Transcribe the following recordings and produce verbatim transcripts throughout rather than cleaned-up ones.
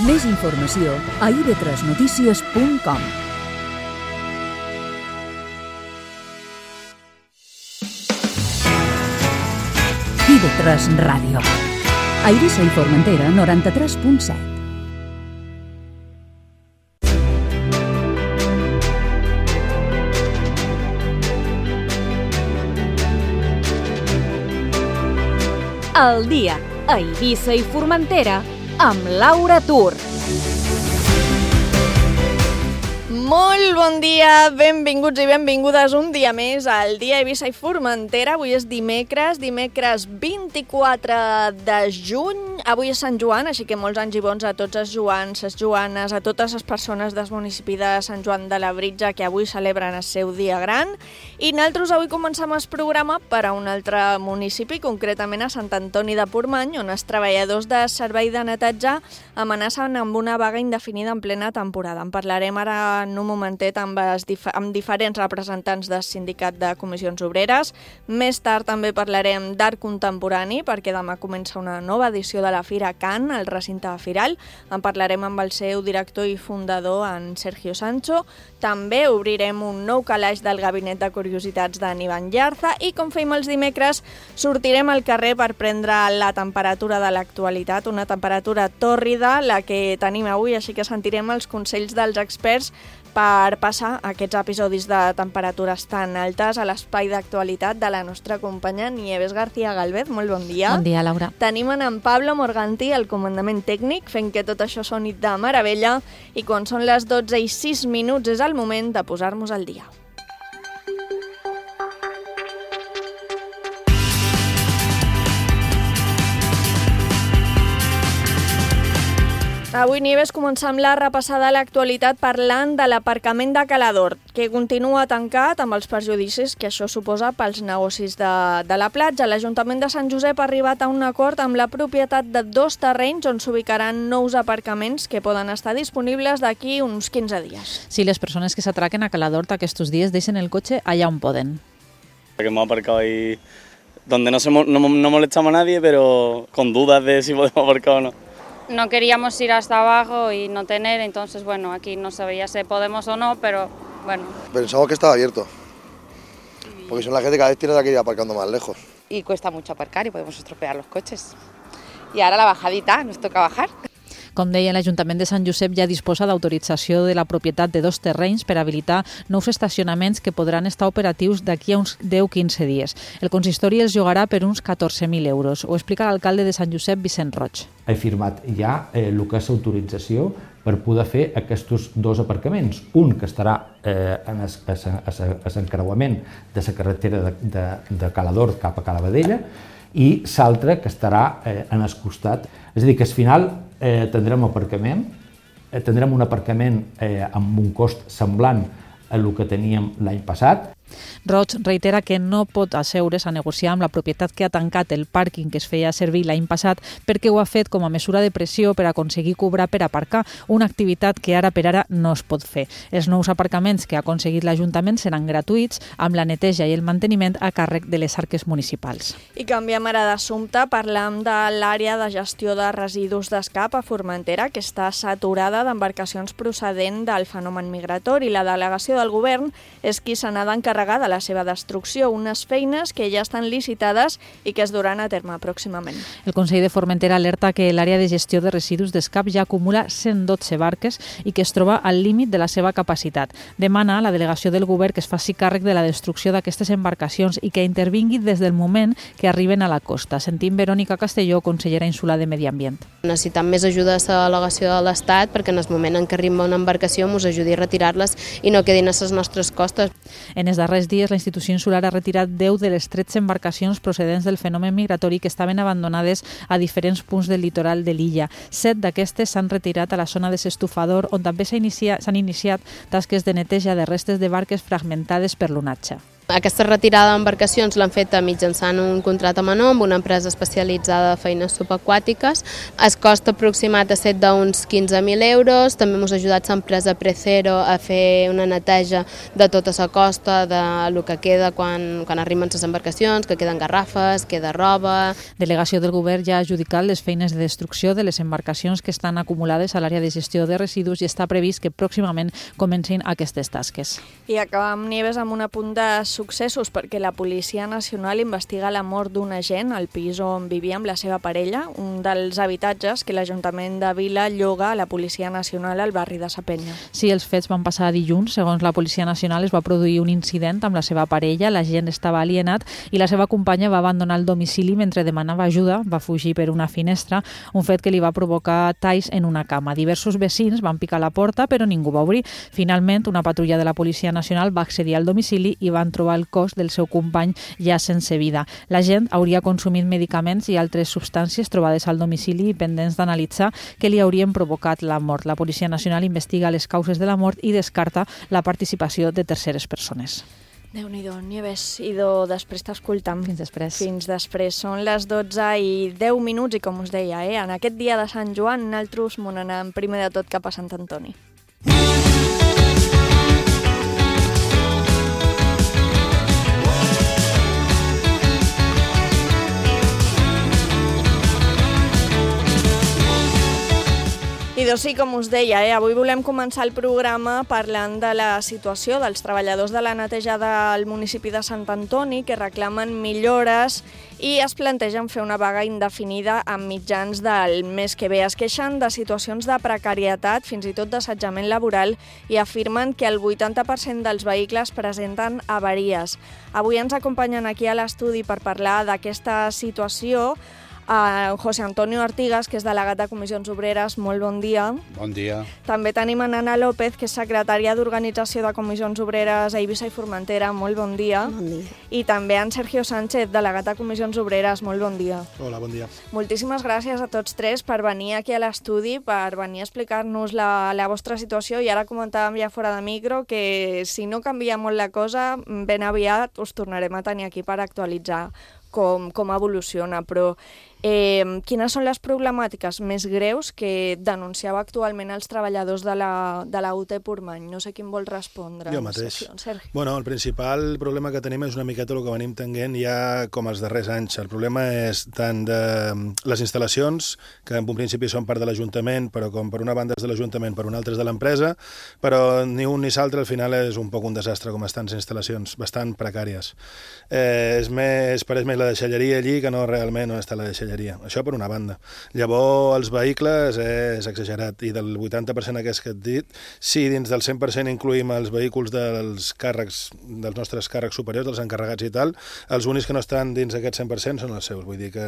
Més informació a i ve tres notícies punt com. i ve tres Ràdio. A Eivissa i Formentera, noranta-tres punt set. El dia a Eivissa i Formentera amb Laura Tur. Molt bon dia, benvinguts i benvingudes un dia més al dia a Eivissa i Formentera. Avui és dimecres, dimecres vint-i-quatre de juny. Avui és Sant Joan, així que molts anys i bons a tots els joans, les joanes, a totes les persones del municipi de Sant Joan de Labritja que avui celebren el seu dia gran. I nosaltres avui comencem el programa per a un altre municipi, concretament a Sant Antoni de Portmany, on els treballadors de servei de neteja amenacen amb una vaga indefinida en plena temporada. En parlarem ara en un momentet amb, dif- amb diferents representants del sindicat de comissions obreres. Més tard també parlarem d'art contemporani, perquè demà comença una nova edició de la Fira Can, al recinte firal. En parlarem amb el seu director i fundador, en Sergio Sancho. També obrirem un nou calaix del gabinet de curiositats d'en Ivan Llarza i, com fem els dimecres, sortirem al carrer per prendre la temperatura de l'actualitat, una temperatura tòrrida, la que tenim avui, així que sentirem els consells dels experts per passar aquests episodis de temperatures tan altes a l'espai d'actualitat de la nostra companya Nieves García Galvez. Molt bon dia. Bon dia, Laura. Tenim en Pablo Morganti, el comandament tècnic, fent que tot això soni de meravella, i quan són les dotze i sis minuts és el moment de posar-nos al dia. Avui, Nieves, comencem la repassada a l'actualitat parlant de l'aparcament de Calador, que continua tancat amb els perjudicis que això suposa pels negocis de, de la platja. L'Ajuntament de Sant Josep ha arribat a un acord amb la propietat de dos terrenys on s'ubicaran nous aparcaments que poden estar disponibles d'aquí uns quinze dies. Sí, les persones que s'atraquen a Calador aquests dies deixen el cotxe allà on poden. Que hemos aparcado ahí donde no, se, no, no molestamos a nadie, pero con dudas de si podemos aparcar o no. No queríamos ir hasta abajo y no tener, entonces bueno, aquí no sabía si podemos o no, pero bueno. Pensamos que estaba abierto, porque son la gente que cada vez tiene que ir aparcando más lejos. Y cuesta mucho aparcar y podemos estropear los coches. Y ahora la bajadita, nos toca bajar. Com deia, l'Ajuntament de Sant Josep ja disposa d'autorització de la propietat de dos terrenys per habilitar nous estacionaments que podran estar operatius d'aquí a uns deu a quinze dies. El consistori els llogarà per uns catorze mil euros. Ho explica l'alcalde de Sant Josep, Vicent Roig. He firmat ja eh, el que és autorització per poder fer aquests dos aparcaments. Un que estarà eh, en l'encreuament de la carretera de, de, de Calador cap a Calavadella i l'altre que estarà eh, en el costat. És a dir, que al final eh, tindrem aparcament, eh, tindrem un aparcament eh, amb un cost semblant a el que teníem l'any passat. Roig reitera que no pot asseure's a negociar amb la propietat que ha tancat el pàrquing que es feia servir l'any passat perquè ho ha fet com a mesura de pressió per aconseguir cobrar per aparcar, una activitat que ara per ara no es pot fer. Els nous aparcaments que ha aconseguit l'Ajuntament seran gratuïts, amb la neteja i el manteniment a càrrec de les arques municipals. I canviem ara d'assumpte, parlam de l'àrea de gestió de residus d'Escap a Formentera, que està saturada d'embarcacions procedent del fenomen migratori. La delegació del govern és qui se n'ha d'encarregar de la seva destrucció, unes feines que ja estan licitades i que es duran a terme pròximament. El Consell de Formentera alerta que l'àrea de gestió de residus d'Escap ja acumula cent dotze barques i que es troba al límit de la seva capacitat. Demana a la delegació del govern que es faci càrrec de la destrucció d'aquestes embarcacions i que intervingui des del moment que arriben a la costa. Sentim Verònica Castelló, consellera insular de Medi Ambient. Necessitem més ajuda de la delegació de l'Estat perquè en el moment en què arriba una embarcació ens ajudi a retirar-les i no quedin a les nostres costes. En els darrers dies, la institució insular ha retirat deu de les tretze embarcacions procedents del fenomen migratori que estaven abandonades a diferents punts del litoral de l'illa. Set d'aquestes s'han retirat a la zona de s'Estufador, on també s'han iniciat, s'han iniciat tasques de neteja de restes de barques fragmentades per l'onatge. Aquesta retirada d'embarcacions l'han fet mitjançant un contracte menor amb una empresa especialitzada de feines subaquàtiques. El cost aproximat ha estat d'uns quinze mil euros. També hem ajudat l'empresa Precero a fer una neteja de tota la costa, de lo que queda quan, quan arriben les embarcacions, que queden garrafes, queda roba. Delegació del Govern ja ha adjudicat les feines de destrucció de les embarcacions que estan acumulades a l'àrea de gestió de residus i està previst que pròximament comencin aquestes tasques. I acabam, Nieves, amb un apunt de successos, perquè la Policia Nacional investiga la mort d'un agent al pis on vivia amb la seva parella, un dels habitatges que l'Ajuntament de Vila lloga a la Policia Nacional al barri de Sa Penya. Sí, els fets van passar dilluns. Segons la Policia Nacional es va produir un incident amb la seva parella, l'agent estava alienat i la seva companya va abandonar el domicili mentre demanava ajuda, va fugir per una finestra, un fet que li va provocar talls en una cama. Diversos vecins van picar la porta però ningú va obrir. Finalment, una patrulla de la Policia Nacional va accedir al domicili i van trobar el cos del seu company ja sense vida. La gent hauria consumit medicaments i altres substàncies trobades al domicili pendents d'analitzar que li haurien provocat la mort. La Policia Nacional investiga les causes de la mort i descarta la participació de terceres persones. Déu-n'hi-do, Nieves, idò, després t'escoltam. Fins després. Fins després. Són les dotze i deu minuts i, com us deia, eh, en aquest dia de Sant Joan, nosaltres m'on anem primer de tot cap a Sant Antoni. I doncs sí, com us deia, eh, avui volem començar el programa parlant de la situació dels treballadors de la netejada al municipi de Sant Antoni que reclamen millores i es plantegen fer una vaga indefinida a mitjans del mes que ve. Es queixen de situacions de precarietat, fins i tot d'assetjament laboral, i afirmen que el vuitanta per cent dels vehicles presenten avaries. Avui ens acompanyen aquí a l'estudi per parlar d'aquesta situació a José Antonio Artigas, que és delegat de Comissions Obreres. Molt bon dia. Bon dia. També tenim a Nana López, que és secretària d'Organització de Comissions Obreres a Eivissa i Formentera. Molt bon dia. Bon dia. I també en Sergio Sánchez, delegat de Comissions Obreres. Molt bon dia. Hola, bon dia. Moltíssimes gràcies a tots tres per venir aquí a l'estudi, per venir a explicar-nos la, la vostra situació. I ara comentàvem ja fora de micro que si no canvia molt la cosa, ben aviat us tornarem a tenir aquí per actualitzar com, com evoluciona, però eh, quines són les problemàtiques més greus que denunciava actualment els treballadors de la, de la U T Portmany? No sé quin vol respondre. Jo mateix. Sergi. Bueno, el principal problema que tenim és una miqueta el que venim tenint ja com els darrers anys. El problema és tant de les instal·lacions, que en un principi són part de l'Ajuntament, però com per una banda és de l'Ajuntament, per una altra és de l'empresa, però ni un ni l'altre al final és un poc un desastre com estan les instal·lacions, bastant precàries. Eh, és més, pareix més la deixalleria allí que no realment on està la deixalleria. Això per una banda. Llavors, els vehicles és exagerat, i del vuitanta per cent aquest que et dit, si dins del cent per cent incluïm els vehicles dels càrrecs, dels nostres càrrecs superiors, dels encarregats i tal, els únics que no estan dins d'aquest cent per cent són els seus. Vull dir que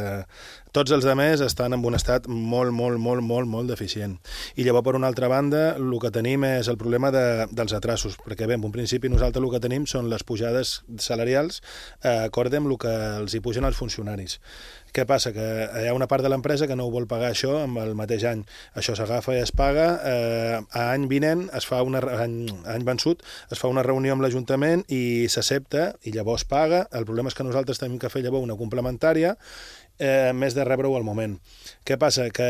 tots els altres estan en un estat molt, molt, molt, molt, molt deficient. I llavors, per una altra banda, el que tenim és el problema de, dels atrasos, perquè bé, en un principi nosaltres el que tenim són les pujades salarials eh, acorde amb el que els hi pugen els funcionaris. Què passa? Que hi ha una part de l'empresa que no ho vol pagar això amb el mateix any. Això s'agafa i es paga. Eh, a any vinent, es fa una, any, any vençut, es fa una reunió amb l'Ajuntament i s'accepta i llavors paga. El problema és que nosaltres tenim que fer llavors una complementària eh, més de rebre-ho al moment. Què passa? Que,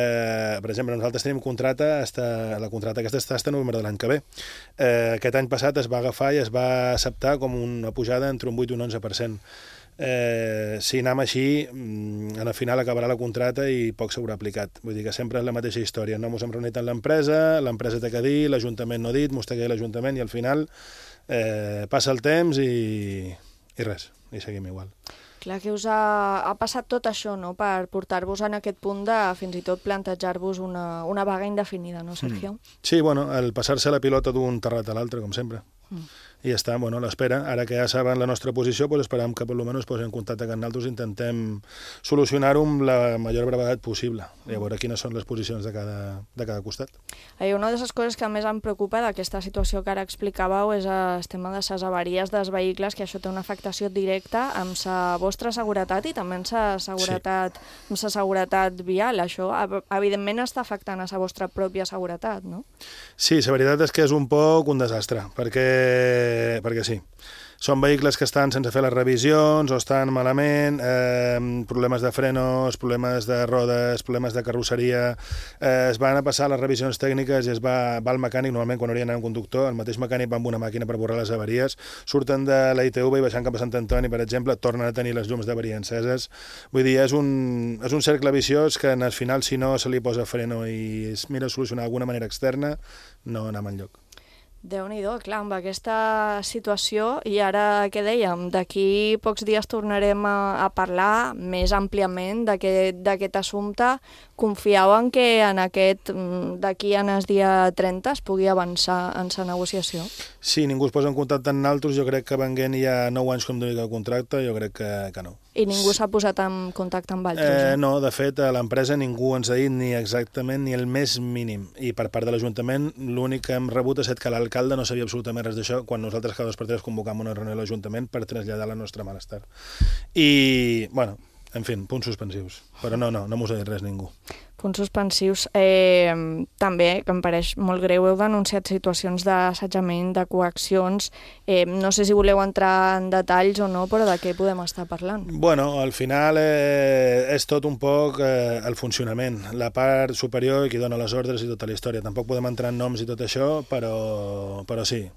per exemple, nosaltres tenim contrata, hasta, la contrata aquesta està fins novembre de l'any que ve. Eh, aquest any passat es va agafar i es va acceptar com una pujada entre un vuit i un onze per cent. Eh, si anem així, al final acabarà la contrata i poc s'haurà aplicat. Vull dir que sempre és la mateixa història. No ens hem reunit amb l'empresa, l'empresa té que dir, l'Ajuntament no ha dit, mos té que dir l'Ajuntament, i al final eh, passa el temps i, i res, i seguim igual. Clar que us ha, ha passat tot això, no?, per portar-vos en aquest punt de fins i tot plantejar-vos una, una vaga indefinida, no, Sergio? Mm. Sí, bueno, el passar-se la pilota d'un terrat a l'altre, com sempre. Mm. I ja està, bueno, a l'espera. Ara que ja saben la nostra posició, pues esperam que per lo menos posin en contacte amb nosaltres i intentem solucionar-ho amb la major brevetat possible. I a veure quines són les posicions de cada, de cada costat. I una de les coses que més em preocupa d'aquesta situació que ara explicàveu és el tema de les avaries dels vehicles, que això té una afectació directa amb la vostra seguretat i també amb la seguretat, sí. amb la seguretat vial. Això, evidentment, està afectant a la vostra pròpia seguretat, no? Sí, la veritat és que és un poc un desastre, perquè perquè sí. són vehicles que estan sense fer les revisions o estan malament, eh, problemes de frenos, problemes de rodes, problemes de carrosseria, eh, es van a passar les revisions tècniques i es va, va al mecànic, normalment quan hauria d'anar un conductor, el mateix mecànic va amb una màquina per borrar les avaries, surten de la I T V i baixant cap a Sant Antoni, per exemple, tornen a tenir les llums d'avaria enceses. Vull dir, és un, és un cercle viciós que al final, si no se li posa freno i es mira a solucionar d'alguna manera externa, no anem enlloc. Déu-n'hi-do, clar, amb aquesta situació, i ara què dèiem, d'aquí pocs dies tornarem a, a parlar més àmpliament d'aquest assumpte. Confieu en que en aquest, d'aquí en el dia trenta es pugui avançar en la negociació? Sí, ningú es posa en contacte amb nosaltres, jo crec que venguent ja nou anys com d'únic el contracte, jo crec que, que no. I ningú s'ha posat en contacte amb altres? Eh, no, de fet, a l'empresa ningú ens ha dit ni exactament ni el més mínim. I per part de l'Ajuntament, l'únic que hem rebut ha estat que l'alcalde no sabia absolutament res d'això quan nosaltres cada dos per tres convocam una reunió a l'Ajuntament per traslladar la nostra malestar. I, bueno, en fi, punts suspensius. Però no, no, no m'ho ha dit res ningú. Punts suspensius. Eh, també, que em pareix molt greu, heu denunciat situacions d'assetjament, de coaccions. Eh, no sé si voleu entrar en detalls o no, però de què podem estar parlant? Bueno, al final eh, és tot un poc eh, el funcionament, la part superior i qui dona les ordres i tota la història. Tampoc podem entrar en noms i tot això, però, però sí.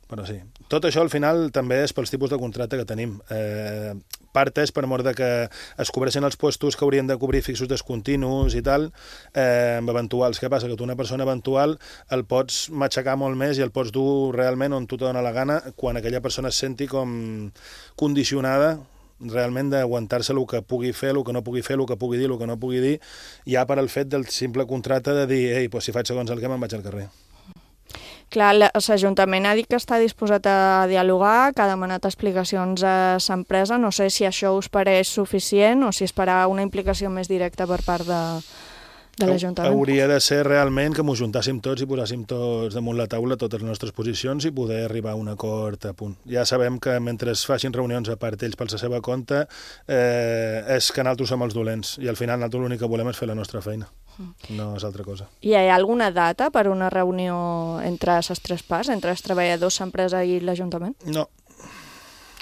Però sí. Tot això al final també és pels tipus de contracte que tenim. Eh, part és per mort de que es cobreixen els puestos que haurien de cobrir fixos descontinus i tal, eh, amb eventuals. Què passa? Que tu una persona eventual el pots matxacar molt més i el pots dur realment on tu te dona la gana quan aquella persona es senti com condicionada realment d'aguantar-se el que pugui fer, el que no pugui fer, el que pugui dir, el que no pugui dir, ja per al fet del simple contracte de dir, ei, doncs si faig segons el que me'n vaig al carrer. Clar, l'Ajuntament ha dit que està disposat a dialogar, que ha demanat explicacions a l'empresa. No sé si això us pareix suficient o si esperar una implicació més directa per part de, de l'Ajuntament. Hauria de ser realment que m'ho juntàssim tots i posàssim tots damunt la taula totes les nostres posicions i poder arribar a un acord a punt. Ja sabem que mentre es facin reunions a part ells per la seva compte, eh, és que nosaltres som els dolents i al final nosaltres l'únic que volem és fer la nostra feina. No és altra cosa. Hi ha alguna data per una reunió entre les tres parts, entre els treballadors, l'empresa i l'Ajuntament? No.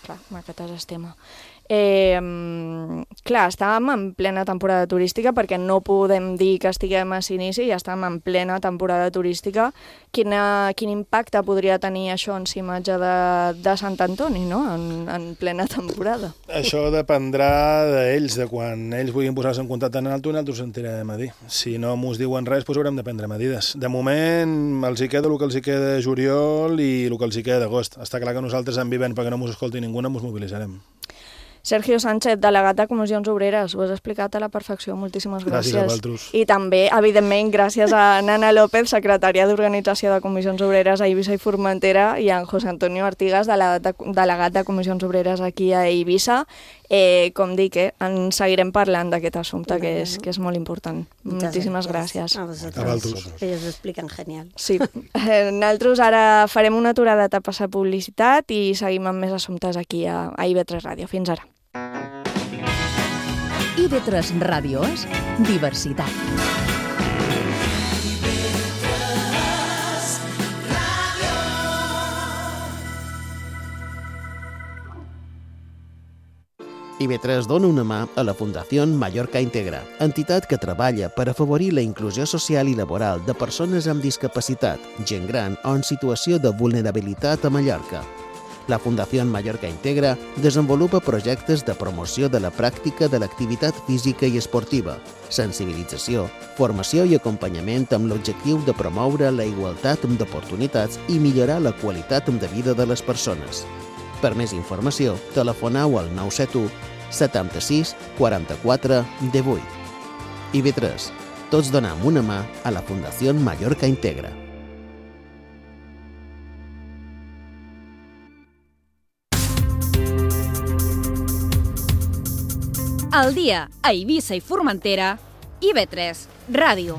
Clar, aquest és el tema. Eh, clar, estàvem en plena temporada turística perquè no podem dir que estiguem a l'inici, ja estàvem en plena temporada turística. Quina, quin impacte podria tenir això en la imatge de, de Sant Antoni, no? en, en plena temporada? Això dependrà d'ells, de quan ells vulguin posar-se en contacte amb nosaltres, nosaltres ho sentirem a dir. Si no mos diuen res, doncs haurem de prendre medides. De moment, els hi queda el que els hi queda de juliol i el que els hi queda d'agost. Està clar que nosaltres en vivent perquè no mos escolti ningú, no mos mobilitzarem. Sergio Sánchez, delegat de Comissions Obreres, ho has explicat a la perfecció, moltíssimes gràcies. Gràcies a vosaltres. I també, evidentment, gràcies a Nana López, secretària d'Organització de Comissions Obreres a Eivissa i Formentera, i a en José Antonio Artigas, delegat de, delegat de Comissions Obreres aquí a Eivissa. Eh, com dic, eh, en seguirem parlant d'aquest assumpte, que és, que és molt important. Muchas Moltíssimes gracias. gràcies. A vosotros. Ellos lo explican genial. Sí. Eh, nosaltres ara farem una aturada a passar publicitat i seguim amb més assumptes aquí a, a I V tres Ràdio. Fins ara. I V tres Ràdio és diversitat. I V tres dona una mà a la Fundació Mallorca Integra, entitat que treballa per afavorir la inclusió social i laboral de persones amb discapacitat, gent gran o en situació de vulnerabilitat a Mallorca. La Fundació Mallorca Integra desenvolupa projectes de promoció de la pràctica de l'activitat física i esportiva, sensibilització, formació i acompanyament amb l'objectiu de promoure la igualtat d'oportunitats i millorar la qualitat de vida de les persones. Per més informació, telefoneu al nou set u setanta-sis quaranta-quatre divuit. I V tres. Tots donem una mà a la Fundació Mallorca Integra. Al dia a Eivissa i Formentera, I V tres Ràdio.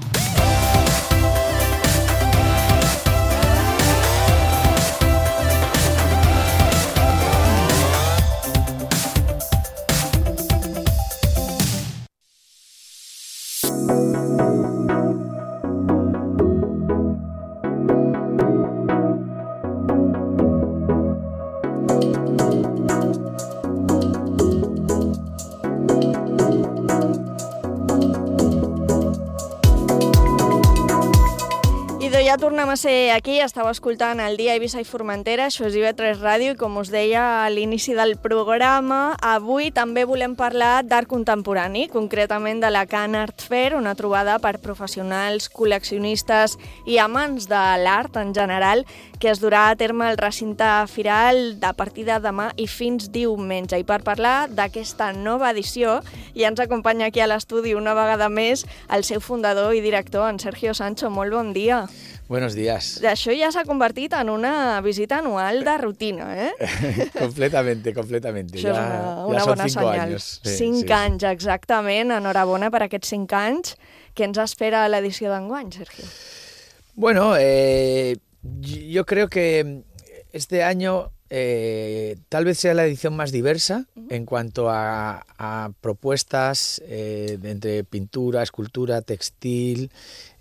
ja tornem a ser aquí, estàu escoltant el dia Eivissa i Formentera, això és I V tres Ràdio, i com us deia a l'inici del programa, avui també volem parlar d'art contemporani, concretament de la Can Art Fair, una trobada per professionals, col·leccionistes i amants de l'art en general, que es durà a terme al recinte firal a partir de demà i fins diumenge. I per parlar d'aquesta nova edició, ja ens acompanya aquí a l'estudi una vegada més el seu fundador i director, en Sergio Sancho. Molt bon dia. Buenos días. Això ja s'ha convertit en una visita anual de rutina, eh? completamente, completamente. Això ja, és una, una ja són bona cinc senyal. anys. Sí, cinc sí, anys, exactament. Enhorabona per aquests cinc anys. Què ens espera a l'edició d'enguany, Sergio? Bueno, eh, yo creo que este año eh, tal vez sea la edición más diversa uh-huh. en cuanto a, a propuestas eh, entre pintura, escultura, textil,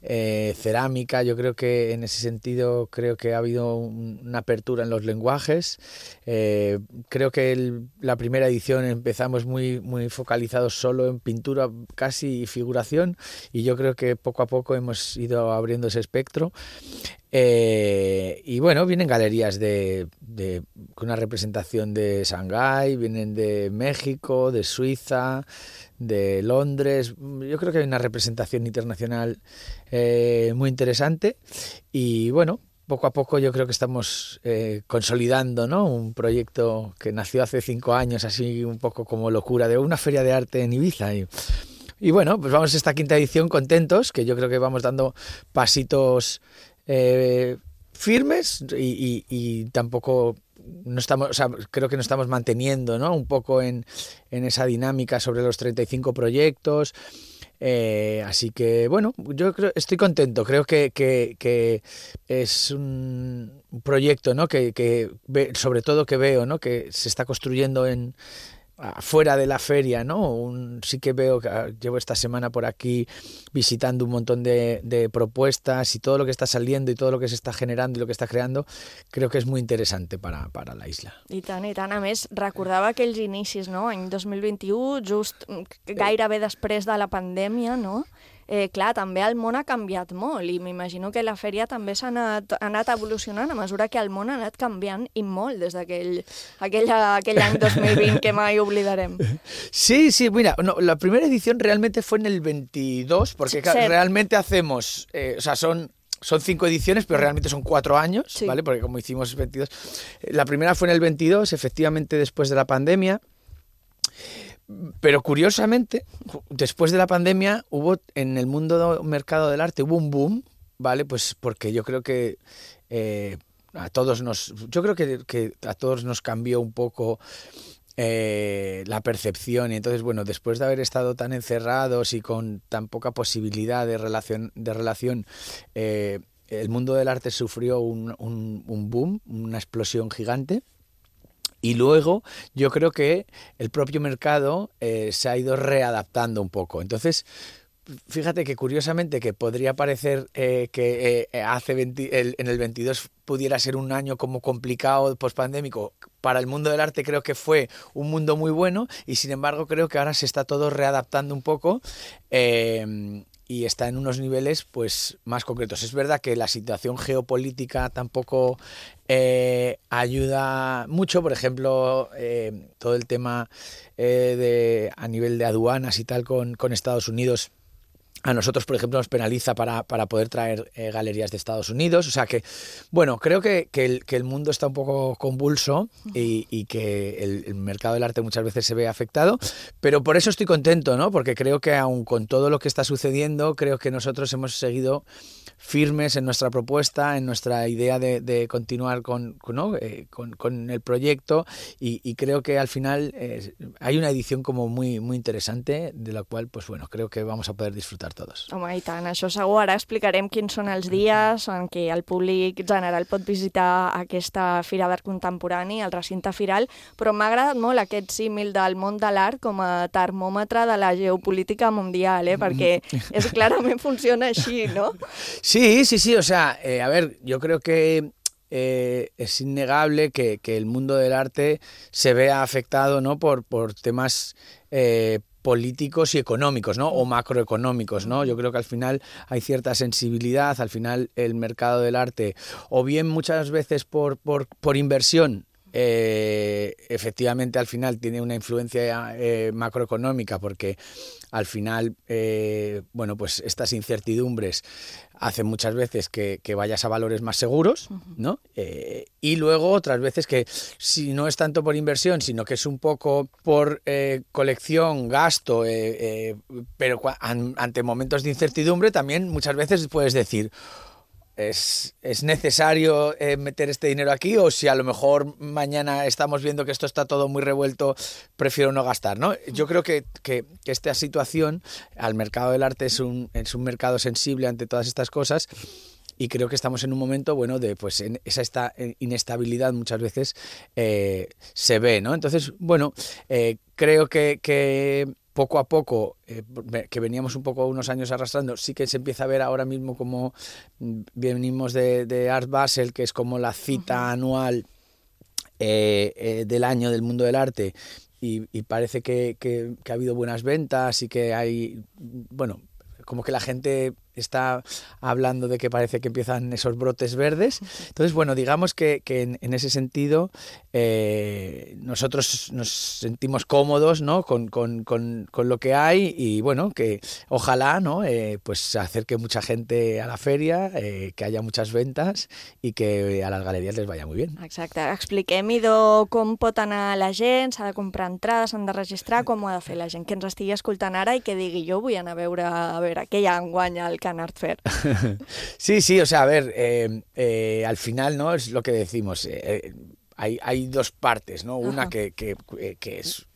eh, cerámica. Yo creo que en ese sentido creo que ha habido un, una apertura en los lenguajes. Eh, creo que el, la primera edición empezamos muy, muy focalizados solo en pintura casi y figuración, y yo creo que poco a poco hemos ido abriendo ese espectro. Eh, y bueno, vienen galerías de, de, con una representación de Shanghái, vienen de México, de Suiza, de Londres. Yo creo que hay una representación internacional eh, muy interesante, y bueno, poco a poco yo creo que estamos eh, consolidando, ¿no?, un proyecto que nació hace cinco años, así un poco como locura, de una feria de arte en Ibiza. Y, y bueno, pues vamos a esta quinta edición contentos, que yo creo que vamos dando pasitos Eh, firmes y, y, y tampoco no estamos, o sea, creo que nos estamos manteniendo, ¿no?, un poco en, en esa dinámica sobre los treinta y cinco proyectos. Eh, así que bueno, yo creo, estoy contento, creo que, que, que es un proyecto, ¿no?, que, que ve, sobre todo que veo, ¿no?, que se está construyendo en fuera de la feria, ¿no? Un, sí que veo que llevo esta semana por aquí visitando un montón de, de propuestas, y todo lo que está saliendo y todo lo que se está generando y lo que está creando, creo que és molt interessant para, para la isla. I tant, i tant. A més, recordava aquells inicis, no?, any dos mil vint-i-u, just gairebé després de la pandèmia, no? Eh, clar, també el món ha canviat molt, i m'imagino que la fèria també s'ha anat, ha anat evolucionant a mesura que el món ha anat canviant, i molt, des d'aquell aquell, aquell any dos mil vint que mai oblidarem. Sí, sí, mira, no, la primera edición realmente fue en el veintidós, porque sí, realmente hacemos, eh, o sea, son... Son cinco ediciones, pero realmente son cuatro años, sí. ¿Vale? Porque como hicimos veintidós... La primera fue en el veintidós, efectivamente después de la pandemia. Pero curiosamente, después de la pandemia hubo en el mundo del mercado del arte hubo un boom, ¿vale? Pues porque yo creo que eh, a todos nos, yo creo que, que a todos nos cambió un poco eh, la percepción, y entonces bueno, después de haber estado tan encerrados y con tan poca posibilidad de relación, de relación, eh, el mundo del arte sufrió un, un, un boom, una explosión gigante. Y luego yo creo que el propio mercado eh, se ha ido readaptando un poco. Entonces, fíjate que curiosamente que podría parecer eh, que eh, hace veinte, el, en el veintidós pudiera ser un año como complicado, pospandémico. Para el mundo del arte creo que fue un mundo muy bueno, y sin embargo creo que ahora se está todo readaptando un poco. Eh, y está en unos niveles pues más concretos. Es verdad que la situación geopolítica tampoco eh, ayuda mucho, por ejemplo, eh, todo el tema eh, de a nivel de aduanas y tal con, con Estados Unidos. A nosotros, por ejemplo, nos penaliza para, para poder traer eh, galerías de Estados Unidos. O sea que, bueno, creo que, que, el, que el mundo está un poco convulso, y, y que el, el mercado del arte muchas veces se ve afectado. Pero por eso estoy contento, ¿no? Porque creo que aun con todo lo que está sucediendo, creo que nosotros hemos seguido firmes en nuestra propuesta, en nuestra idea de, de continuar con, ¿no? eh, con, con el proyecto, y, y creo que al final eh, hay una edición como muy, muy interesante, de la cual, pues bueno, creo que vamos a poder disfrutar todos. Home, i tant, això segur. Ara explicarem quins són els dies en què el públic general pot visitar aquesta Fira d'Art Contemporani, el recinte firal, però m'ha agradat molt aquest símil del món de l'art com a termòmetre de la geopolítica mundial, eh? Perquè és, clarament funciona així, no? Sí, sí, sí, o sea, eh, a ver, yo creo que eh, es innegable que, que el mundo del arte se vea afectado, ¿no?, por, por temas eh, políticos y económicos, ¿no? O macroeconómicos, ¿no? Yo creo que al final hay cierta sensibilidad, al final el mercado del arte, o bien muchas veces por, por, por inversión, Eh, efectivamente al final tiene una influencia eh, macroeconómica, porque al final eh, bueno, pues estas incertidumbres hacen muchas veces que, que vayas a valores más seguros, ¿no? Eh, y luego otras veces que si no es tanto por inversión, sino que es un poco por eh, colección, gasto, eh, eh, pero an, ante momentos de incertidumbre también muchas veces puedes decir, ¿Es, es necesario eh, meter este dinero aquí? O si a lo mejor mañana estamos viendo que esto está todo muy revuelto, prefiero no gastar, ¿no? Yo creo que, que, que esta situación al mercado del arte es un, es un mercado sensible ante todas estas cosas, y creo que estamos en un momento, bueno, de pues en esa esta inestabilidad muchas veces eh, se ve, ¿no? Entonces, bueno, eh, creo que... que poco a poco, eh, que veníamos un poco unos años arrastrando, sí que se empieza a ver ahora mismo como venimos de, de Art Basel, que es como la cita uh-huh. anual eh, eh, del año del mundo del arte, y, y parece que, que, que ha habido buenas ventas y que hay, bueno, como que la gente está hablando de que parece que empiezan esos brotes verdes. Entonces, bueno, digamos que, que en, en ese sentido eh, nosotros nos sentimos cómodos, ¿no? con, con, con, con lo que hay, y bueno, que ojalá, ¿no? eh, pues acerque mucha gente a la feria, eh, que haya muchas ventas i que a les galeries les vaya muy bien. Exacte. Expliquem-hi do com pot anar la gent, s'ha de comprar entrades, s'han de registrar, com ho ha de fer la gent que ens estigui escoltant ara i que digui jo vull anar a veure, a veure què hi ha enguany al Can Art Fair. Sí, sí, o sea, a ver, eh, eh, al final, ¿no? Es lo que decimos, eh, hay, hay dos partes, ¿no? Una que, que, que es...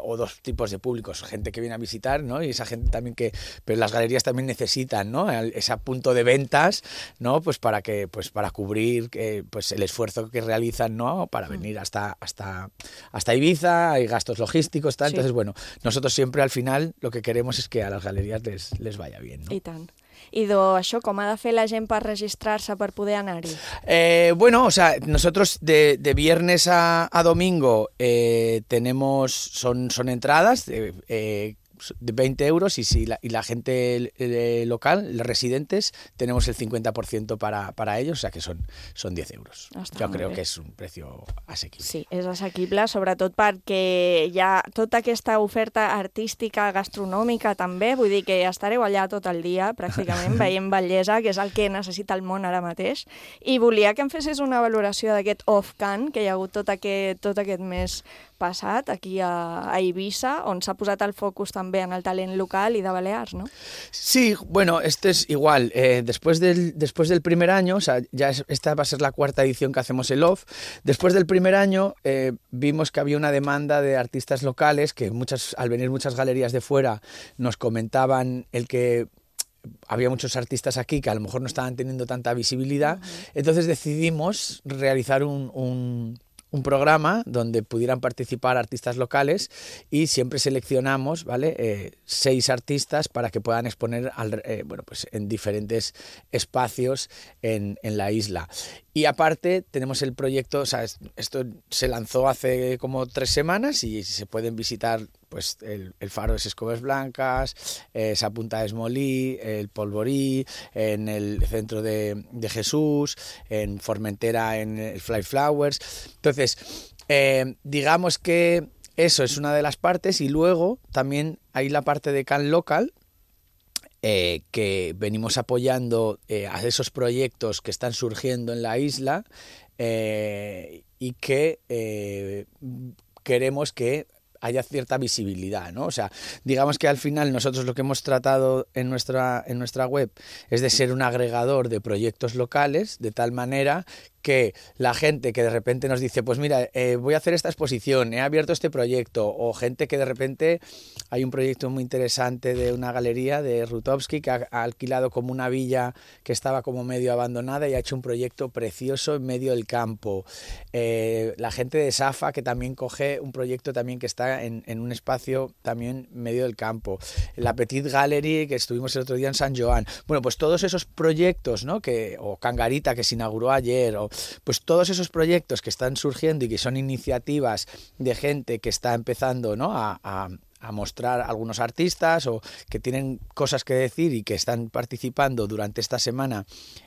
o dos tipos de públicos, gente que viene a visitar, ¿no? Y esa gente también que, pero las galerías también necesitan, ¿no? Ese punto de ventas, ¿no? Pues para que, pues para cubrir eh, pues el esfuerzo que realizan, ¿no? Para venir hasta hasta hasta Ibiza, hay gastos logísticos, tal. Sí. Entonces, bueno, nosotros siempre al final lo que queremos es que a las galerías les, les vaya bien, ¿no? I tant. I do, això, com ha de fer la gent per registrar-se per poder anar-hi? Eh, bueno, o sea, nosotros de, de viernes a, a domingo eh, tenemos, son, son entradas de, eh, de veinte euros, y si la, y la gente eh, local, los residentes, tenemos el cincuenta por ciento para, para ellos, o sea que son, son diez euros. Està jo creo bé. Que és un precio assequible. Sí, és assequible, sobretot perquè hi ha tota aquesta oferta artística, gastronòmica també, vull dir que estareu allà tot el dia, pràcticament, veient bellesa, que és el que necessita el món ara mateix, i volia que em fessis una valoració d'aquest off-can que hi ha hagut tot aquest, tot aquest mes passat aquí a, a Ibiza, on s'ha posat el focus també en el talent local y de Balears, ¿no? Sí, bueno, este es igual. Eh, después, del, después del primer año, o sea, ya es, esta va a ser la cuarta edición que hacemos el Off. Después del primer año eh, vimos que había una demanda de artistas locales, que muchas, al venir muchas galerías de fuera nos comentaban el que había muchos artistas aquí que a lo mejor no estaban teniendo tanta visibilidad. Uh-huh. Entonces decidimos realizar un... un un programa donde pudieran participar artistas locales, y siempre seleccionamos, ¿vale? Eh, seis artistas para que puedan exponer al, eh, bueno, pues en diferentes espacios en, en la isla. Y aparte tenemos el proyecto, o sea, esto se lanzó hace como tres semanas y se pueden visitar pues el, el Faro de Escobas Blancas, eh, esa Punta de Esmolí, el Polvorí, en el centro de, de Jesús, en Formentera, en el Fly Flowers. Entonces, eh, digamos que eso es una de las partes, y luego también hay la parte de Can Local, Eh, que venimos apoyando eh, a esos proyectos que están surgiendo en la isla, eh, y que eh, queremos que haya cierta visibilidad, ¿no? O sea, digamos que al final nosotros lo que hemos tratado en nuestra, en nuestra web es de ser un agregador de proyectos locales, de tal manera que la gente que de repente nos dice, pues mira, eh, voy a hacer esta exposición, he abierto este proyecto, o gente que de repente hay un proyecto muy interesante de una galería de Rutowski que ha, ha alquilado como una villa que estaba como medio abandonada y ha hecho un proyecto precioso en medio del campo. Eh, la gente de Safa, que también coge un proyecto también que está en, en un espacio también en medio del campo. La Petit Gallery, que estuvimos el otro día en San Joan. Bueno, pues todos esos proyectos, ¿no? Que, o Cangarita, que se inauguró ayer, o pues todos esos proyectos que están surgiendo y que son iniciativas de gente que está empezando, ¿no? a, a, a mostrar algunos artistas o que tienen cosas que decir y que están participando durante esta semana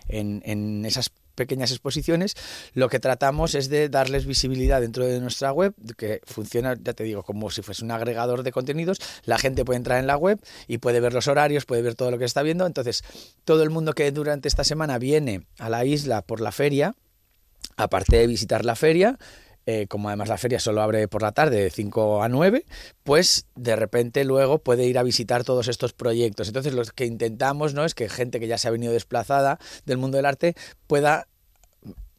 en, en esas pequeñas exposiciones, lo que tratamos es de darles visibilidad dentro de nuestra web, que funciona, ya te digo, como si fuese un agregador de contenidos. La gente puede entrar en la web y puede ver los horarios, puede ver todo lo que está viendo. Entonces, todo el mundo que durante esta semana viene a la isla por la feria, aparte de visitar la feria, Eh, como además la feria solo abre por la tarde de cinco a nueve, pues de repente luego puede ir a visitar todos estos proyectos. Entonces lo que intentamos, ¿no?, es que gente que ya se ha venido desplazada del mundo del arte pueda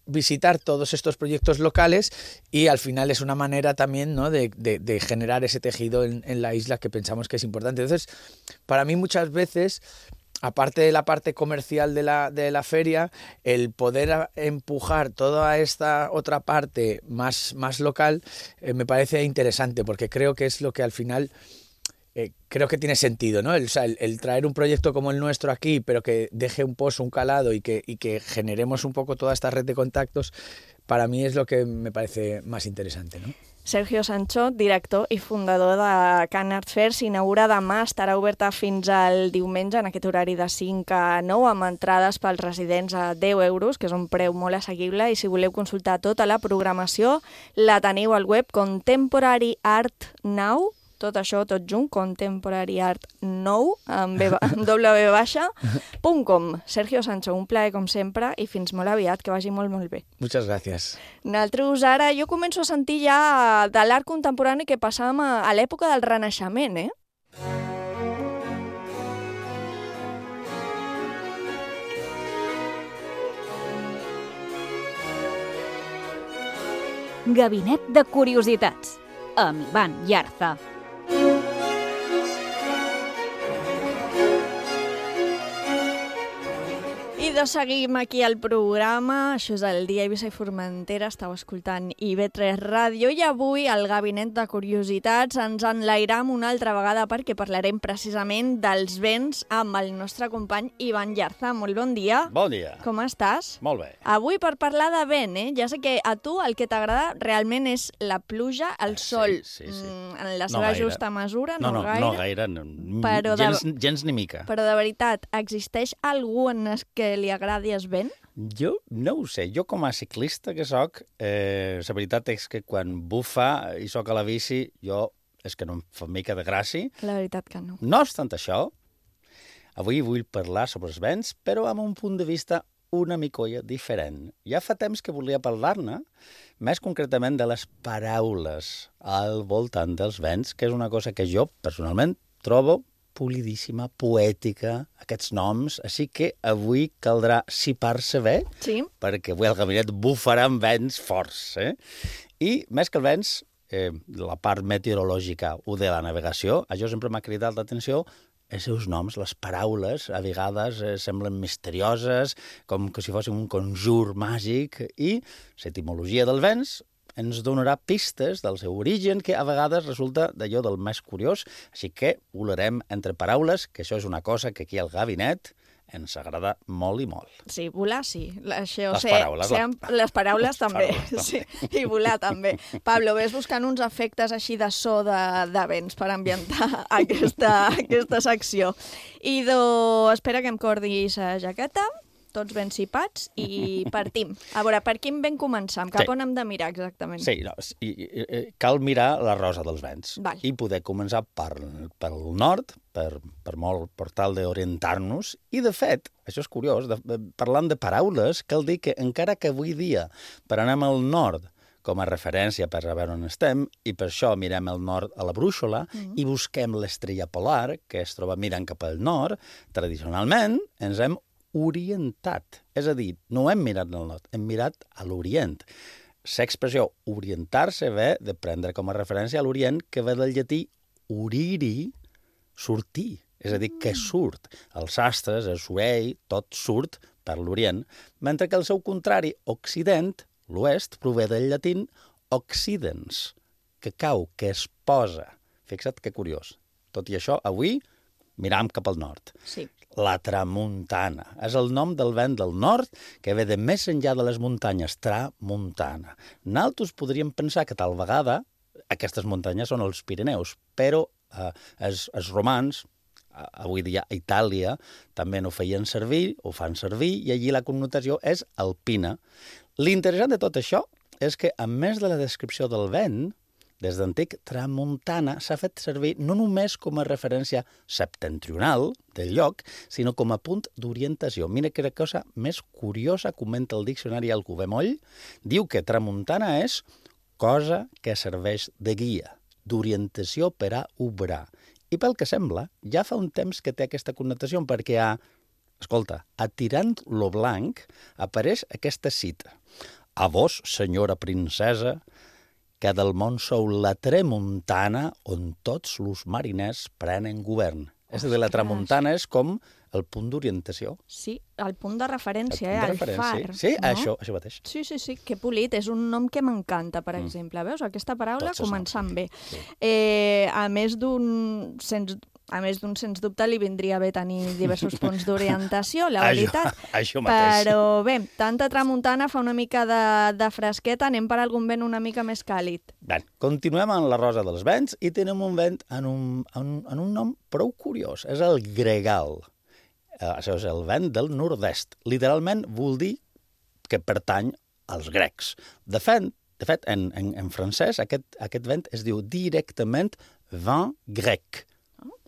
visitar todos estos proyectos locales, y al final es una manera también, ¿no?, de, de, de generar ese tejido en, en la isla que pensamos que es importante. Entonces, para mí muchas veces, aparte de la parte comercial de la, de la feria, el poder empujar toda esta otra parte más, más local eh, me parece interesante, porque creo que es lo que al final eh, creo que tiene sentido, ¿no? El, o sea, el, el traer un proyecto como el nuestro aquí, pero que deje un pozo, un calado, y que, y que generemos un poco toda esta red de contactos, para mí es lo que me parece más interesante, ¿no? Sergio Sancho, director i fundador de Can Art Fair, s'inaugura demà, estarà oberta fins al diumenge en aquest horari de cinc a nou, amb entrades pels residents a deu euros, que és un preu molt assequible, i si voleu consultar tota la programació la teniu al web Contemporary Art Now, tot això, tot junt, Contemporary Art Nou, amb w baixa punt com. Sergio Sancho, un plaer com sempre, i fins molt aviat, que vagi molt, molt bé. Muchas gracias. Nosaltres ara, jo començo a sentir ja de l'art contemporani que passàvem a, a l'època del Renaixement, eh? Gabinet de Curiositats, amb Ivan Yarza. I de seguim aquí al programa, això és el dia Eivissa i Formentera, estàu escoltant I V tres Ràdio, i avui al Gabinet de Curiositats ens enlairam una altra vegada perquè parlarem precisament dels vents amb el nostre company Ivan Yarza. Molt bon dia. Bon dia. Com estàs? Molt bé. Avui per parlar de vent, eh? Ja sé que a tu el que t'agrada realment és la pluja, el sol, sí, sí, sí. en la No seva gaire. justa mesura, No, no, no, gaire. no gaire, no, Però de- gens, gens ni mica. Però de veritat, existeix algú en el que li agradi el vent? Jo no ho sé, jo com a ciclista que sóc, eh, la veritat és que quan bufa i sóc a la bici, jo és que no em fa mica de gràcia. La veritat que no. No obstant això, avui vull parlar sobre els vents, però amb un punt de vista una micolla diferent. Ja fa temps que volia parlar-ne, més concretament de les paraules al voltant dels vents, que és una cosa que jo, personalment, trobo polidíssima, poètica, aquests noms, així que avui caldrà sipar-se bé, sí, perquè avui el gabinet bufarà amb vents forts. Eh? I més que els vents, eh, la part meteorològica o de la navegació, això sempre m'ha cridat l'atenció, els seus noms, les paraules, a vegades eh, semblen misterioses, com que si fossin un conjur màgic, i l'etimologia dels vents ens donarà pistes del seu origen, que a vegades resulta d'allò del més curiós, així que volarem entre paraules, que això és una cosa que aquí al gabinet ens agrada molt i molt. Sí, volar sí. Això, Les sé, paraules, sé, la- les paraules les també, paraules sí, i volar també. Pablo, ves buscant uns efectes així de so de, de vents per ambientar aquesta, aquesta secció. I do, espera que em cordis la jaqueta, tots ben cipats, i partim. A veure, per quin vent començam? Cap Sí. on hem de mirar exactament? Sí, no, i, i, i, cal mirar la rosa dels vents. Val. I poder començar per, pel nord, per, per, molt, per tal d'orientar-nos. I, de fet, això és curiós, de, de, parlant de paraules, cal dir que encara que avui dia, per anar al nord, com a referència per saber on estem, i per això mirem el nord a la brúixola mm. i busquem l'estrella polar, que es troba mirant cap al nord, tradicionalment ens hem orientat. És a dir, no hem mirat al nord, hem mirat a l'orient. L'expressió orientar-se ve de prendre com a referència a l'orient, que ve del llatí oriri, sortir. És a dir, que surt. Els sastres, el sorell, tot surt per l'orient, mentre que el seu contrari, occident, l'oest, prové del llatín occidens, que cau, que es posa. Fixa't que curiós. Tot i això, avui miram cap al nord. Sí. La tramuntana. És el nom del vent del nord que ve de més enllà de les muntanyes, tramuntana. Nosaltres podríem pensar que tal vegada aquestes muntanyes són els Pirineus, però eh, els, els romans, eh, avui dia a Itàlia, també no feien servir, ho fan servir, i allí la connotació és alpina. L'interessant de tot això és que, a més de la descripció del vent, des d'antic, tramuntana s'ha fet servir no només com a referència septentrional del lloc, sinó com a punt d'orientació. Mira que cosa més curiosa, comenta el diccionari Alcover Moll, diu que tramuntana és cosa que serveix de guia, d'orientació per a obrar. I pel que sembla, ja fa un temps que té aquesta connotació, perquè a, escolta, a Tirant lo Blanc apareix aquesta cita. A vos, senyora princesa, que del món sou la tramuntana on tots los mariners prenen govern. És a dir, la tramuntana és com el punt d'orientació. Sí, el punt de referència, el, punt de eh, el far. Sí, no? això, això mateix. Sí, sí, sí, que polit. És un nom que m'encanta, per Mm. exemple. Veus? Aquesta paraula Tots els començant noms, bé. sí. Eh, a més d'un... Sens... A més d'un, sens dubte, li vindria bé tenir diversos punts d'orientació, la veritat. Això, això mateix. Però bé, tanta tramuntana fa una mica de, de fresqueta, anem per algun vent una mica més càlid. Ben, continuem amb la rosa dels vents i tenim un vent en un, en, en un nom prou curiós. És el gregal. Eh, això és el vent del nord-est. Literalment vol dir que pertany als grecs. De fet, de fet en, en, en francès, aquest, aquest vent es diu directament vent grec,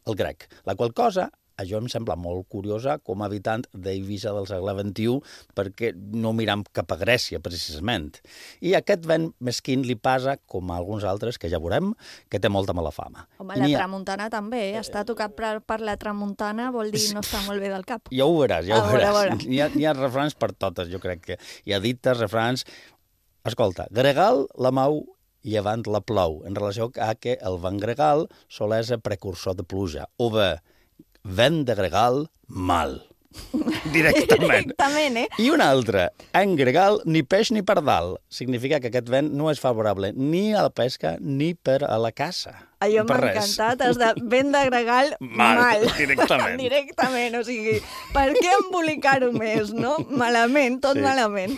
el grec. La qual cosa, això em sembla molt curiosa com a habitant d'Eivissa del segle vint-i-u, perquè no miram cap a Grècia, precisament. I aquest vent mesquín li passa, com a alguns altres, que ja veurem, que té molta mala fama. Home, la tramuntana també, eh? Està tocat per, per la tramuntana, vol dir no està molt bé del cap. Ja ho veuràs, ja ho A veure, a veuràs. Hi ha, hi ha refrans per totes, jo crec que. Hi ha dites, refrans... Escolta, gregal la mau llevant la plou, en relació a que el vent gregal sol ser precursor de pluja. O bé, vent de gregal, mal. Directament. Directament, eh? I una altra, en gregal, ni peix ni pardal. Significa que aquest vent no és favorable ni a la pesca ni per a la caça. Allò Per m'ha res. encantat, has de vent de gregal, Mal, mal. directament. Directament, o sigui, per què embolicar-ho més, no? Malament, tot Sí. malament.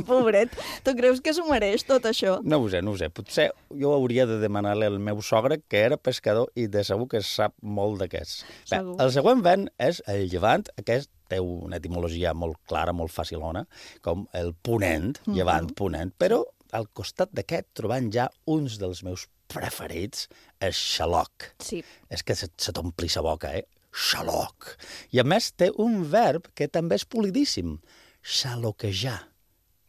Pobret, tu creus que s'ho mereix tot això? No ho sé, no ho sé. Potser jo hauria de demanar-li al meu sogre, que era pescador i de segur que sap molt d'aquests. Bé, Segur. el següent vent és el llevant, aquest té una etimologia molt clara, molt facilona, com el ponent, Mhm. llevant, ponent, però al costat d'aquest trobant ja uns dels meus preferits, és xaloc. Sí. És que se, se t'ompli la boca, eh? Xaloc. I a més té un verb que també és polidíssim, xaloquejar,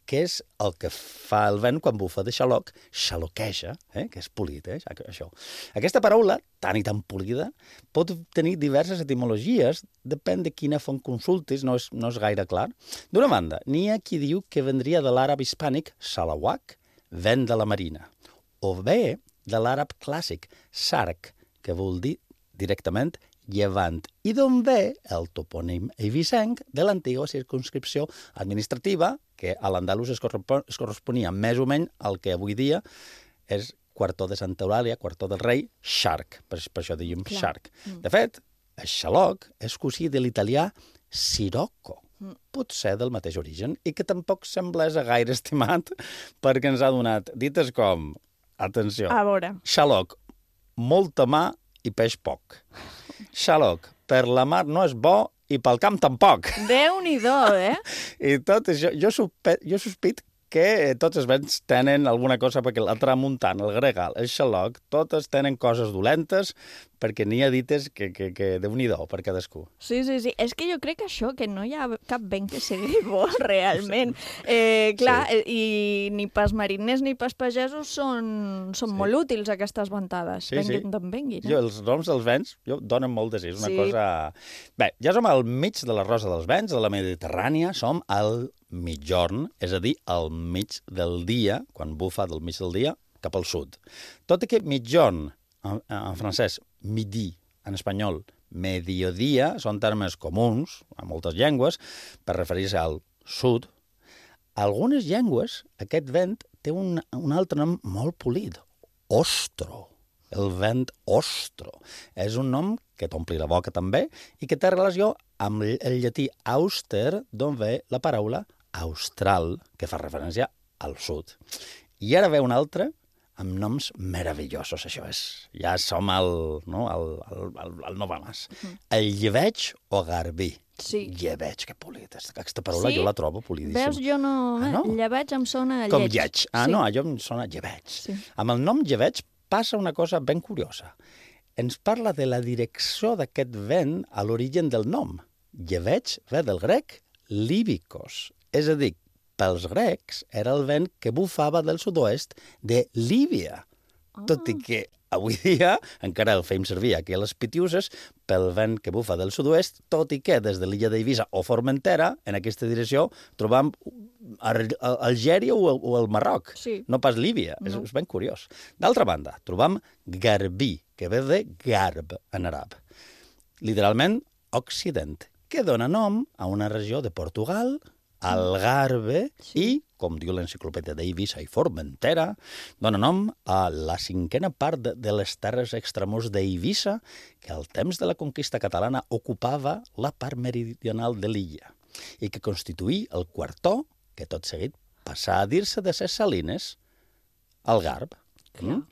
que és el que fa el vent quan bufa de xaloc, xaloqueja, eh? Que és polit, eh? Això. Aquesta paraula, tan i tan polida, pot tenir diverses etimologies, depèn de quina font consultis, no és, no és gaire clar. D'una banda, n'hi ha qui diu que vendria de l'àrab hispànic salawak, vent de la marina, o bé de l'àrab clàssic, sarc, que vol dir directament llevant, i d'on ve el topònim eivissenc de l'antiga circumscripció administrativa, que a l'andalús es, correspon, es corresponia més o menys al que avui dia és Quartó de Santa Eulàlia, Quartó del Rei, Xarc, per, per això diem Clar. Xarc. Mm. De fet, el xaloc és cosí de l'italià sirocco, pot ser del mateix origen, i que tampoc sembla ser gaire estimat perquè ens ha donat dites com, atenció, A veure. xaloc, molta mà i peix poc. Xaloc, per la mar no és bo i pel camp tampoc. Déu-n'hi-do, eh? I tot això, jo, sospe, jo sospit que tots els vents tenen alguna cosa, perquè la tramuntana, el gregal, el xaloc, totes tenen coses dolentes, perquè n'hi ha dites que, que, que Déu-n'hi-do per cadascú. Sí, sí, sí. És que jo crec que això, que no hi ha cap vent que sigui bo, realment. Eh, clar, sí. i ni pas mariners ni pas pagesos són, són sí. molt útils, aquestes ventades. Sí, venguin sí. d'on venguin. Eh? Jo, els noms dels vents jo, donen molt de sí, és una Sí. cosa... Bé, ja som al mig de la rosa dels vents, de la Mediterrània, som al mitjorn, és a dir, al mig del dia, quan bufa del mig del dia, cap al sud. Tot i que mitjorn, en, en francès, midi, en espanyol, mediodia, són termes comuns, a moltes llengües, per referir-se al sud. A algunes llengües, aquest vent té un, un altre nom molt polit, ostro. El vent ostro. És un nom que t'ompli la boca també i que té relació amb el llatí auster, d'on ve la paraula austral, que fa referència al sud. I ara ve un altre, amb noms meravellosos, això és. Ja som al, no, al, al, al, al no va més. Uh-huh. El llebeig o garbí. Sí. Llebeig, que polit. Aquesta paraula sí? Jo la trobo polidíssima. Veus, jo no... Ah, no? Llebeig em sona lleig. Com lleig. Ah, sí. No, allò em sona llebeig. Sí. Amb el nom llebeig passa una cosa ben curiosa. Ens parla de la direcció d'aquest vent a l'origen del nom. Llebeig ve del grec líbicos, és a dir, pels grecs era el vent que bufava del sud-oest de Líbia, oh. Tot i que avui dia encara el fem servir aquí a les Pitiuses pel vent que bufa del sud-oest, tot i que des de l'illa d'Eivissa o Formentera, en aquesta direcció, trobam Algèria o el, o el Marroc, sí. No pas Líbia, no. És, és ben curiós. D'altra banda, trobam garbí, que ve de garb en àrab, literalment occident, que dona nom a una regió de Portugal, Algarve, sí. I, com diu l'enciclopèdia d'Eivissa i Formentera, dona nom a la cinquena part de, de les terres extramurs d'Eivissa, que al temps de la conquista catalana ocupava la part meridional de l'illa, i que constituïa el quartó, que tot seguit passà a dir-se de ses salines, Algarve. Mm?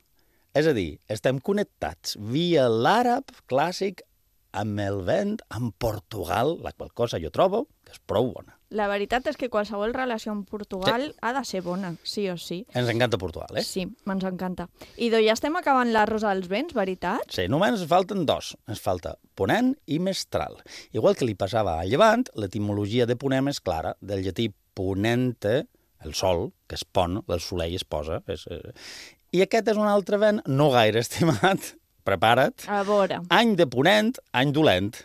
És a dir, estem connectats via l'àrab clàssic amb el vent, amb Portugal, la qual cosa jo trobo que és prou bona. La veritat és que qualsevol relació amb Portugal sí. Ha de ser bona, sí o sí. Ens encanta Portugal, eh? Sí, ens encanta. I doncs ja estem acabant la Rosa dels Vents, veritat? Sí, només ens falten dos. Ens falta Ponent i Mestral. Igual que li passava a Llevant, l'etimologia de Ponent és clara, del llatí ponente, el sol, que es pon, el soleil es posa. És, eh... I aquest és un altre vent no gaire estimat, prepara't. A veure. Any de ponent, any dolent.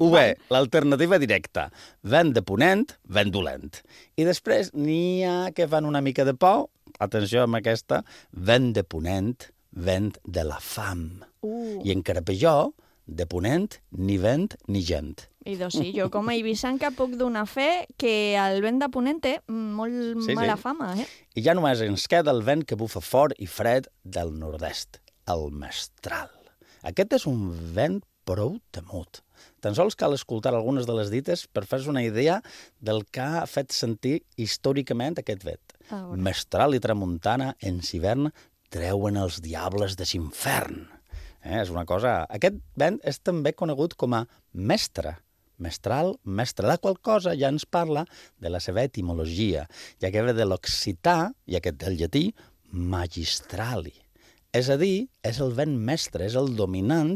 O bé, l'alternativa directa. Vent de ponent, vent dolent. I després n'hi ha que fan una mica de por, atenció amb aquesta, vent de ponent, vent de la fam. Uh. I encara pitjor, de ponent, ni vent ni gent. I doncs sí, jo com a eivissanca puc donar fe que el vent de ponent té molt sí, mala sí. fama, eh? I ja només ens queda el vent que bufa fort i fred del nord-est, el mestral. Aquest és un vent prou temut. Tan sols cal escoltar algunes de les dites per fer-se una idea del que ha fet sentir històricament aquest vent. Ah, Mestral i tramuntana en hivern treuen els diables de l'infern. Eh, és una cosa... Aquest vent és també conegut com a mestre. Mestral, mestre, la qual cosa ja ens parla de la seva etimologia, ja que ve de l'occità, i aquest del llatí, magistrali. És a dir, és el vent mestre, és el dominant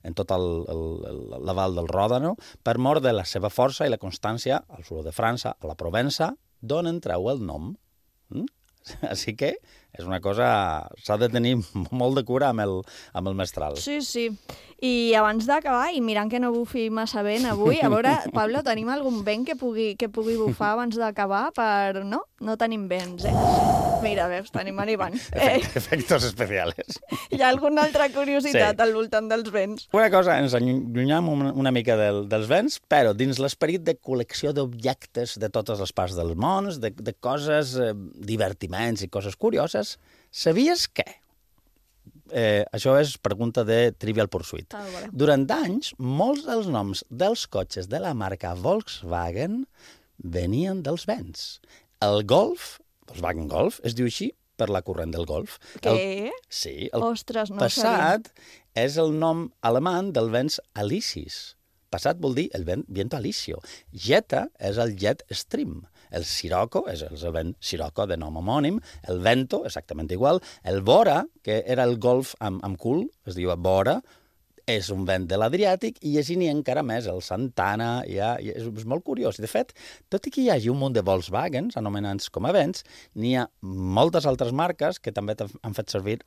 en tot el, el, el, la val del Ròdano, per mort de la seva força i la constància al sud de França, a la Provença, d'on en treu el nom. Mm? Així que és una cosa... S'ha de tenir molt de cura amb el, amb el mestral. Sí, sí. I abans d'acabar, i mirant que no bufi massa vent avui, a veure, Pablo, tenim algun vent que pugui, que pugui bufar abans d'acabar? Per... No? No tenim vents, eh? Mira, veus, tenim arribant. Efect, eh. Efectos especials. Hi ha alguna altra curiositat sí. Al voltant dels vents? Una cosa, ens allunyam una, una mica del, dels vents, però dins l'esperit de col·lecció d'objectes de totes les parts del món, de, de coses, eh, divertiments i coses curioses, sabies què? Eh, això és pregunta de Trivial Pursuit. Ah, bueno. Durant anys, molts dels noms dels cotxes de la marca Volkswagen venien dels vents. El Golf, Volkswagen Golf, es diu així per la corrent del Golf. Què? El, sí, el Ostres, no passat és el nom alemany del vents alicis. Passat vol dir el vent viento alisio. Jetta és el jet stream. El Sirocco és el vent Sirocco de nom homònim. El vento, exactament igual. El Bora, que era el golf amb, amb cul, es diu Bora, és un vent de l'Adriàtic, i així n'hi ha encara més. El Santana, ja, és, és molt curiós. De fet, tot i que hi hagi un munt de Volkswagens, anomenats com a vents, n'hi ha moltes altres marques que també han fet servir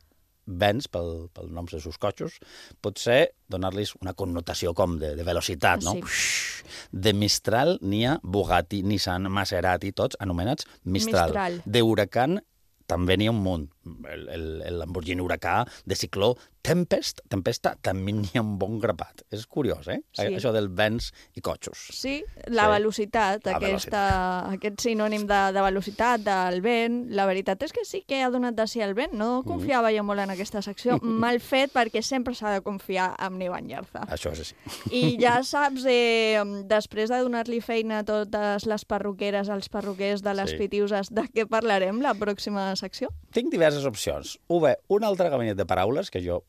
vents pel, pel noms dels seus cotxos, potser donar-los una connotació com de, de velocitat, no? Sí. De Mistral n'hi ha Bugatti, Nissan, Maserati, tots anomenats Mistral. Mistral. De Huracan també n'hi ha un munt. El, el, el Lamborghini Huracà, de cicló, Tempest, Tempesta, també n'hi ha un bon grapat. És curiós, eh? Sí. Això del vents i cotxos. Sí, la sí. velocitat, la aquesta, velocitat. Aquest sinònim de, de velocitat, del vent. La veritat és que sí que ha donat de si el vent. No confiava jo molt en aquesta secció. Mal fet, perquè sempre s'ha de confiar en Neva Nyarza. Això és així. I ja saps, eh, després de donar-li feina a totes les perruqueres, als perruquers de les Sí. Pitiuses, de què parlarem la pròxima secció? Tinc diversos diverses opcions. U bé, un altre gabinet de paraules, que jo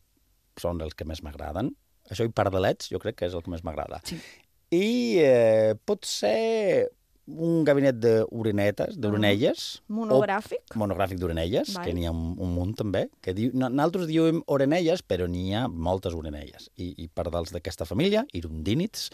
són els que més m'agraden. Això i pardalets, jo crec que és el que més m'agrada. Sí. I eh, pot ser un gabinet d'orinetes, d'orinelles. Monogràfic? Monogràfic d'orinelles, que n'hi ha un, un munt també. Que diu, nosaltres diem orinelles, però n'hi ha moltes orinelles. I, i pardals d'aquesta família, irundínids.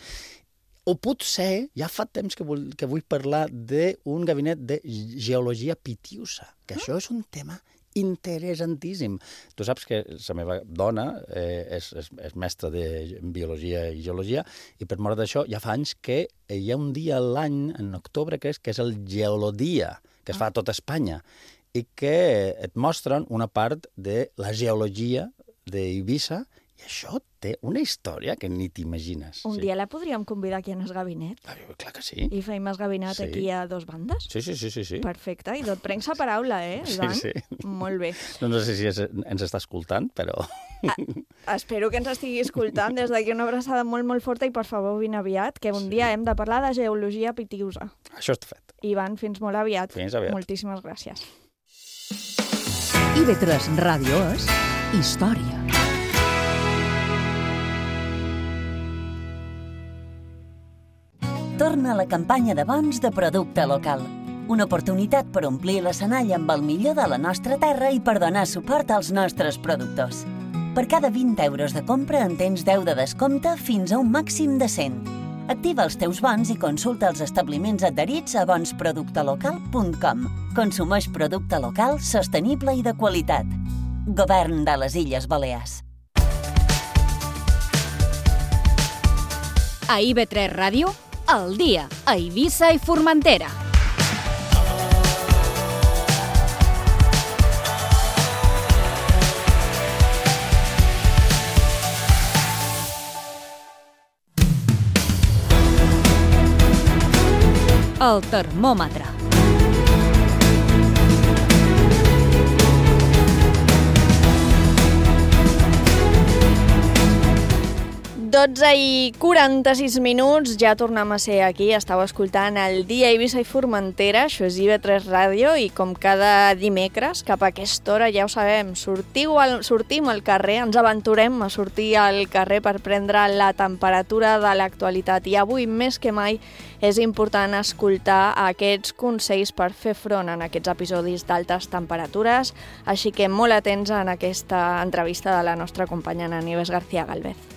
O potser, ja fa temps que vull, que vull parlar d'un gabinet de geologia pitiusa, que ah. això és un tema interessantíssim. Tu saps que la meva dona eh, és, és, és mestra de biologia i geologia i per mort d'això ja fa anys que hi ha un dia a l'any, en octubre, que és, que és el Geolodia, que es fa a tota Espanya i que et mostren una part de la geologia d'Eivissa i això té una història que ni t'imagines. Un sí. dia la podríem convidar aquí en el gabinet. Ah, clar que sí. I feim el gabinet sí. aquí a dos bandes. Sí, sí, sí. sí, sí. Perfecte, i et prenc la paraula, eh, Ivan? Sí, sí. Molt bé. No, no sé si es, ens està escoltant, però... Ah, espero que ens estigui escoltant. Des d'aquí una abraçada molt, molt forta i, per favor, vine aviat, que un sí. dia hem de parlar de geologia pitiusa. Això està fet. Ivan, fins molt aviat. Fins aviat. Moltíssimes gràcies. I V tres Ràdio és història. Torna a la campanya de bons de producte local. Una oportunitat per omplir l'escenari amb el millor de la nostra terra i per donar suport als nostres productors. Per cada vint euros de compra en tens deu de descompte fins a un màxim de cent. Activa els teus bons i consulta els establiments adherits a bons producte local punt com. Consumeix producte local, sostenible i de qualitat. Govern de les Illes Balears. A I V tres Ràdio, al dia, a Eivissa i Formentera. El termòmetre. dotze i quaranta-sis minuts, ja tornem a ser aquí. Estàu escoltant el Dia Eivissa i Formentera, això és I V tres Ràdio, i com cada dimecres, cap a aquesta hora, ja ho sabem, sortiu al, sortim al carrer, ens aventurem a sortir al carrer per prendre la temperatura de l'actualitat. I avui, més que mai, és important escoltar aquests consells per fer front en aquests episodis d'altes temperatures, així que molt atents en aquesta entrevista de la nostra companya Nieves García Galvez.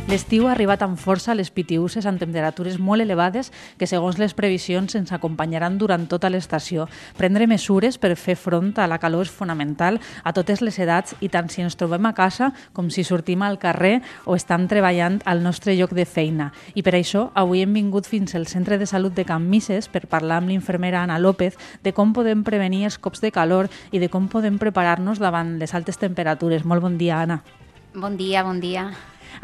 L'estiu ha arribat amb força a les Pitiüses amb temperatures molt elevades que, segons les previsions, ens acompanyaran durant tota l'estació. Prendre mesures per fer front a la calor és fonamental a totes les edats i tant si ens trobem a casa com si sortim al carrer o estem treballant al nostre lloc de feina. I per això avui hem vingut fins al Centre de Salut de Can Misses per parlar amb l'infermera Ana López de com podem prevenir els cops de calor i de com podem preparar-nos davant les altes temperatures. Molt bon dia, Ana. Bon dia, bon dia.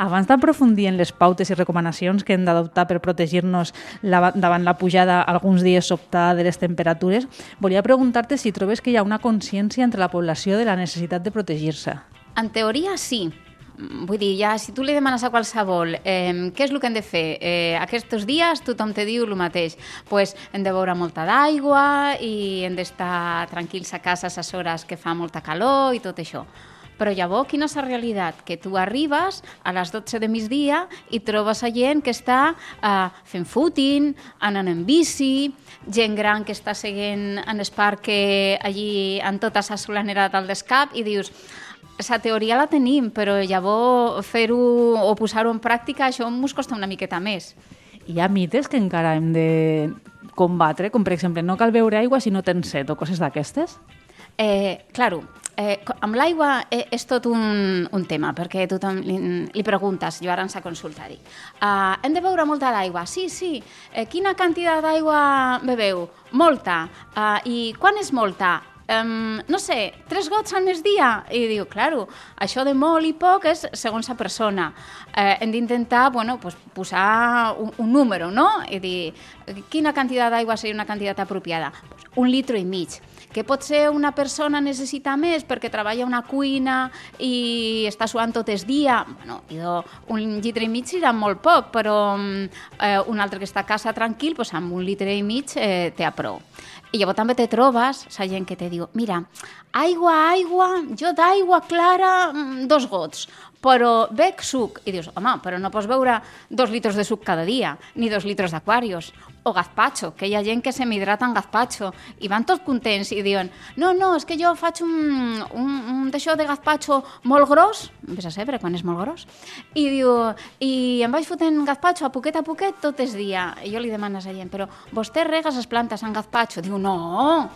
Abans d'aprofundir en les pautes i recomanacions que hem d'adoptar per protegir-nos la, davant la pujada alguns dies sobtada de les temperatures, volia preguntar-te si trobes que hi ha una consciència entre la població de la necessitat de protegir-se. En teoria, sí. Vull dir, ja, si tu li demanes a qualsevol eh, què és el que hem de fer, eh, aquests dies tothom te diu el mateix. Pues, hem de beure molta d'aigua i hem d'estar tranquils a casa a les hores que fa molta calor i tot això. Però llavors, quina és la realitat? Que tu arribes a les dotze de migdia i trobes a gent que està uh, fent footing, anant en bici, gent gran que està seguint en el parc allí en tota la solanera del Descap i dius, la teoria la tenim, però llavors fer-ho o posar-ho en pràctica, això ens costa una miqueta més. Hi ha mites que encara hem de combatre, com per exemple, no cal beure aigua si no tens set o coses d'aquestes? Eh, claro, Eh, amb l'aigua eh, és tot un, un tema, perquè tothom li, li preguntes, jo ara ens a consultar, dic, uh, hem de beure molta d'aigua? Sí, sí. Eh, quina quantitat d'aigua beveu? Molta. Uh, I quan és molta? Um, no sé, tres gots al migdia? I diu, claro, això de molt i poc és segons la persona. Eh, hem d'intentar, bueno, pues, posar un, un número, no? I dir, quina quantitat d'aigua seria una quantitat apropiada? Pues un litro i mig. que potser una persona necessita més perquè treballa a una cuina i està suant tot el dia, bueno, idò, un litre i mig serà molt poc, però eh, un altre que està a casa tranquil, pues, amb un litre i mig eh, té a prou. I llavors també te trobes la gent que te diu, mira, aigua, aigua, jo d'aigua clara, dos gots, però bec suc. I dius, home, però no pots beure dos litres de suc cada dia, ni dos litres d'aquarios, o gazpacho, que hi ha gent que se m'hidrata en gazpacho, i van tots contents i diuen, no, no, és que jo faig un, un, un d'això de gazpacho molt gros, vés a saber quan és molt gros, i diu, i em vaig fotent gazpacho a poquet a poquet tot el dia. I jo li demano a la gent, però vostè rega les plantes en gazpacho? Diu, no,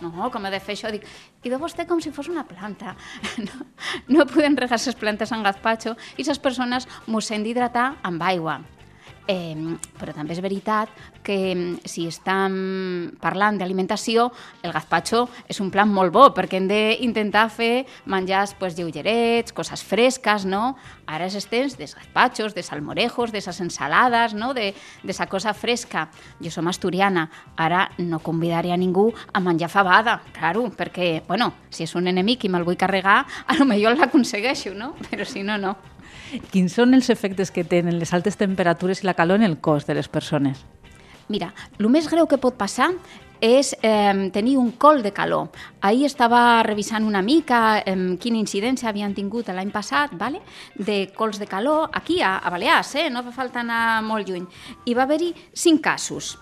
no, com he de fer això? Dic, i de vostè com si fos una planta. No, no podem regar les plantes en gazpacho i les persones mos hem d'hidratar amb aigua. Eh, però també és veritat que si estem parlant d'alimentació, el gazpacho és un plan molt bo, perquè hem d'intentar fer menjars pues, lleugerets, coses fresques, no? Ara és el temps dels gazpachos, de salmorejos, de les ensalades, no? de, de esa cosa fresca. Jo som asturiana, ara no convidaré a ningú a menjar fabada, claro, perquè, bueno, si és un enemic i me'l vull carregar, a lo millor l'aconsegueixo, no? Però si no, no. Quins són els efectes que tenen les altes temperatures i la calor en el cos de les persones? Mira, el més greu que pot passar és eh, tenir un col de calor. Ahir estava revisant una mica eh, quina incidència havien tingut l'any passat, vale? De cols de calor, aquí a, a Balears, eh? No fa falta anar molt lluny. I va haver-hi cinc casos.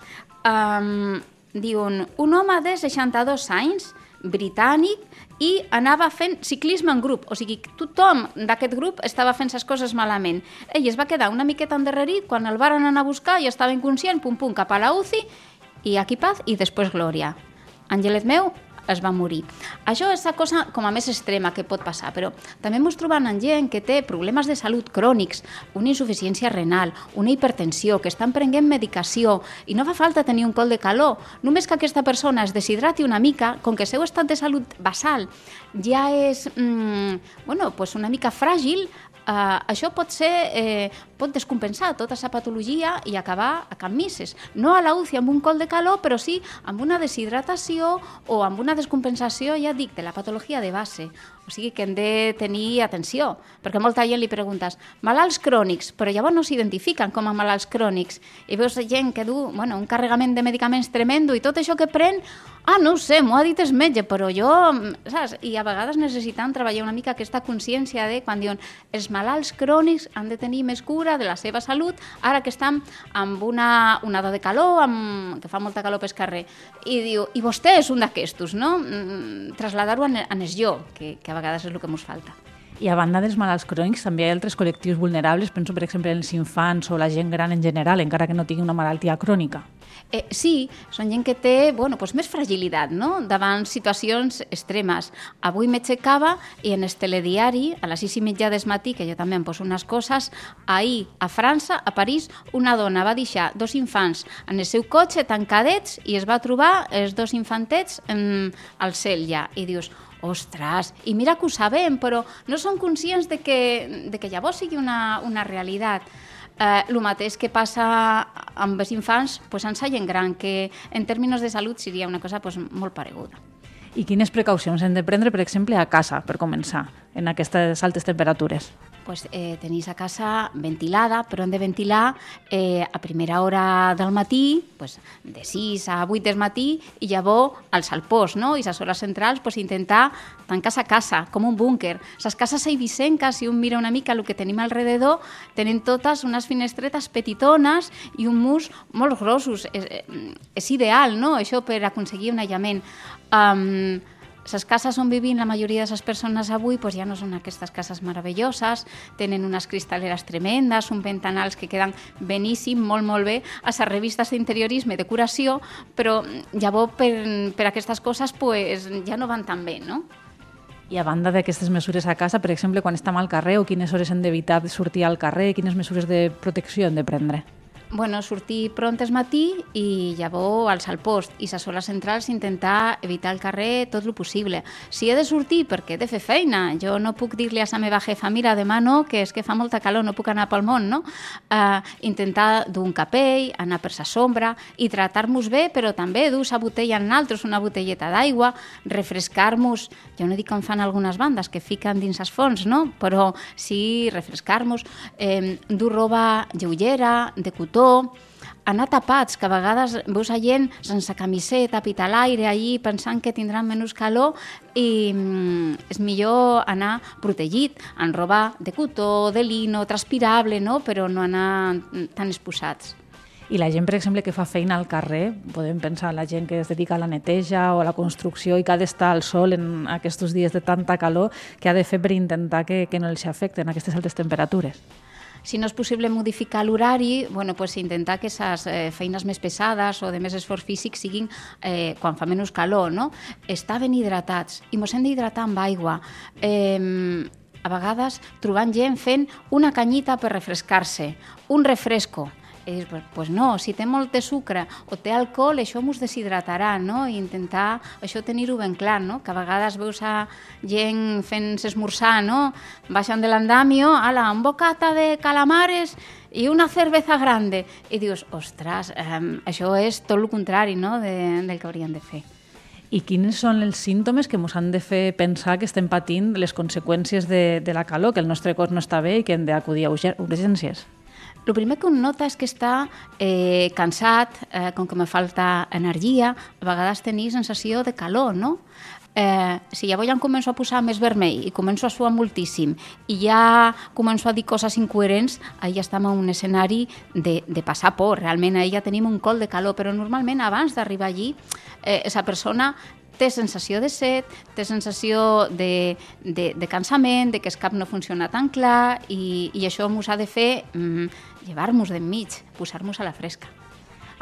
Um, diuen, un home de seixanta-dos anys, britànic, i anava fent ciclisme en grup, o sigui, tothom d'aquest grup estava fent les coses malament. Ell es va quedar una miqueta endarrerit, quan el varen anar a buscar i estava inconscient, pum pum, cap a la U C I, i aquí paz, i després glòria. Àngelet meu es va morir. Això és la cosa com a més extrema que pot passar, però també ens trobem amb gent que té problemes de salut crònics, una insuficiència renal, una hipertensió, que estan prenent medicació, i no fa falta tenir un col de calor, només que aquesta persona es deshidrati una mica, com que el seu estat de salut basal ja és mmm, bueno, pues una mica fràgil, Uh, això pot ser, eh, pot descompensar tota la patologia i acabar a can misses. No a la U C I amb un col de calor, però sí amb una deshidratació o amb una descompensació, ja dic, de la patologia de base. O sigui que hem de tenir atenció, perquè molta gent li preguntes malalts crònics, però llavors no s'identifiquen com a malalts crònics. I veus gent que du bueno, un carregament de medicaments tremendo i tot això que pren, ah, no ho sé, m'ho ha dit el metge, però jo, saps? I a vegades necessitem treballar una mica aquesta consciència de quan diuen els malalts crònics han de tenir més cura de la seva salut, ara que estan amb una onada de calor, amb, que fa molta calor pel carrer. I diu, i vostè és un d'aquestos, no? Trasladar-ho en el jo, que, que a vegades és el que ens falta. I a banda dels malalts crònics també hi ha altres col·lectius vulnerables, penso per exemple en els infants o la gent gran en general, encara que no tingui una malaltia crònica. Eh, sí, són gent que té bueno, pues més fragilitat no? Davant situacions extremes. Avui m'aixecava i en el telediari, a les sis i mitja del matí, que jo també em poso unes coses, ahir a França, a París, una dona va deixar dos infants en el seu cotxe tancadets i es va trobar els dos infantets en, al cel ja. I dius, ostres, i mira que ho sabem, però no són conscients de que, de que llavors sigui una, una realitat. Eh, el mateix que passa amb els infants pues, en la gent gran, que en termes de salut seria una cosa pues, molt pareguda. I quines precaucions hem de prendre, per exemple, a casa, per començar, en aquestes altes temperatures? Pues, eh, tenéis a casa ventilada, però hem de ventilar eh, a primera hora del matí, pues, de sis a vuit del matí, i llavors als alpós, no? I a les hores centrals pues, intentar tancar a casa, com un búnquer. Les cases eivissenques, si un mira una mica el que tenim alrededor, tenen totes unes finestretes petitones i un murs molt grossos. És, és ideal, no?, això per aconseguir un aïllament. Um, les cases on vivim la majoria de les persones avui pues ja no són aquestes cases meravelloses, tenen unes cristaleres tremendes, uns ventanals que queden beníssim, molt, molt bé, a les revistes d'interiorisme i decoració, però llavors per, per aquestes coses pues, ja no van tan bé, no? I a banda d'aquestes mesures a casa, per exemple, quan estem al carrer o quines hores hem d'evitar sortir al carrer, quines mesures de protecció hem de prendre? bueno, sortir pront es matí i llavors alçar el post i les hores centrals intentar evitar el carrer tot el possible. Si he de sortir perquè he de fer feina, jo no puc dir-li a la meva jefa, mira, demà no, que és que fa molta calor, no puc anar pel món, no? Uh, intentar dur un capell, anar per la sombra i tratar-nos bé, però també dur la botella en altres, una botelleta d'aigua, refrescar-nos, jo no dic com fan algunes bandes que fiquen dins els fons, no? Però sí refrescar-nos, eh, dur roba lleugera, de cotó, anar tapats, que a vegades veus a gent sense camiseta, pita a l'aire, allí pensant que tindran menys calor i mm, és millor anar protegit, en roba de cotó, de lino, transpirable, no? Però no anar tan exposats. I la gent, per exemple, que fa feina al carrer, podem pensar en la gent que es dedica a la neteja o a la construcció i que ha d'estar al sol en aquests dies de tanta calor, que ha de fer per intentar que, que no els afecten aquestes altes temperatures? Si no és possible modificar l'horari, bueno, pues intentar que les eh, feines més pesades o de més esforç físic siguin eh, quan fa menys calor, no? Estar ben hidratats, i mos hem d'hidratar amb aigua. Eh, a vegades trobant gent fent una canyita per refrescar-se, un refresco. I dius, pues, pues no, si té molt de sucre o té alcohol, això mos deshidratarà, no? I intentar això tenir-ho ben clar, no? Que a vegades veus a gent fent esmorzar, no? Baixen de l'andamio, ala, un bocata de calamares i una cerveza grande. I dius, ostres, eh, això és tot el contrari, no? De, del que hauríem de fer. I quins són els símptomes que ens han de fer pensar que estem patint les conseqüències de, de la calor, que el nostre cos no està bé i que hem d'acudir a urgències? El primer que un nota és que està eh, cansat, eh, com que me falta energia, a vegades tenir sensació de calor, no? Eh, si llavors ja em començo a posar més vermell i començo a suar moltíssim i ja començo a dir coses incoherents, ahir ja estem en un escenari de, de passar por. Realment ahir ja tenim un col de calor, però normalment abans d'arribar allí, eh, esa persona té sensació de set, té sensació de, de, de cansament, de que el cap no funciona tan clar i, i això ens ha de fer mm, llevar-nos d'enmig, posar-nos a la fresca.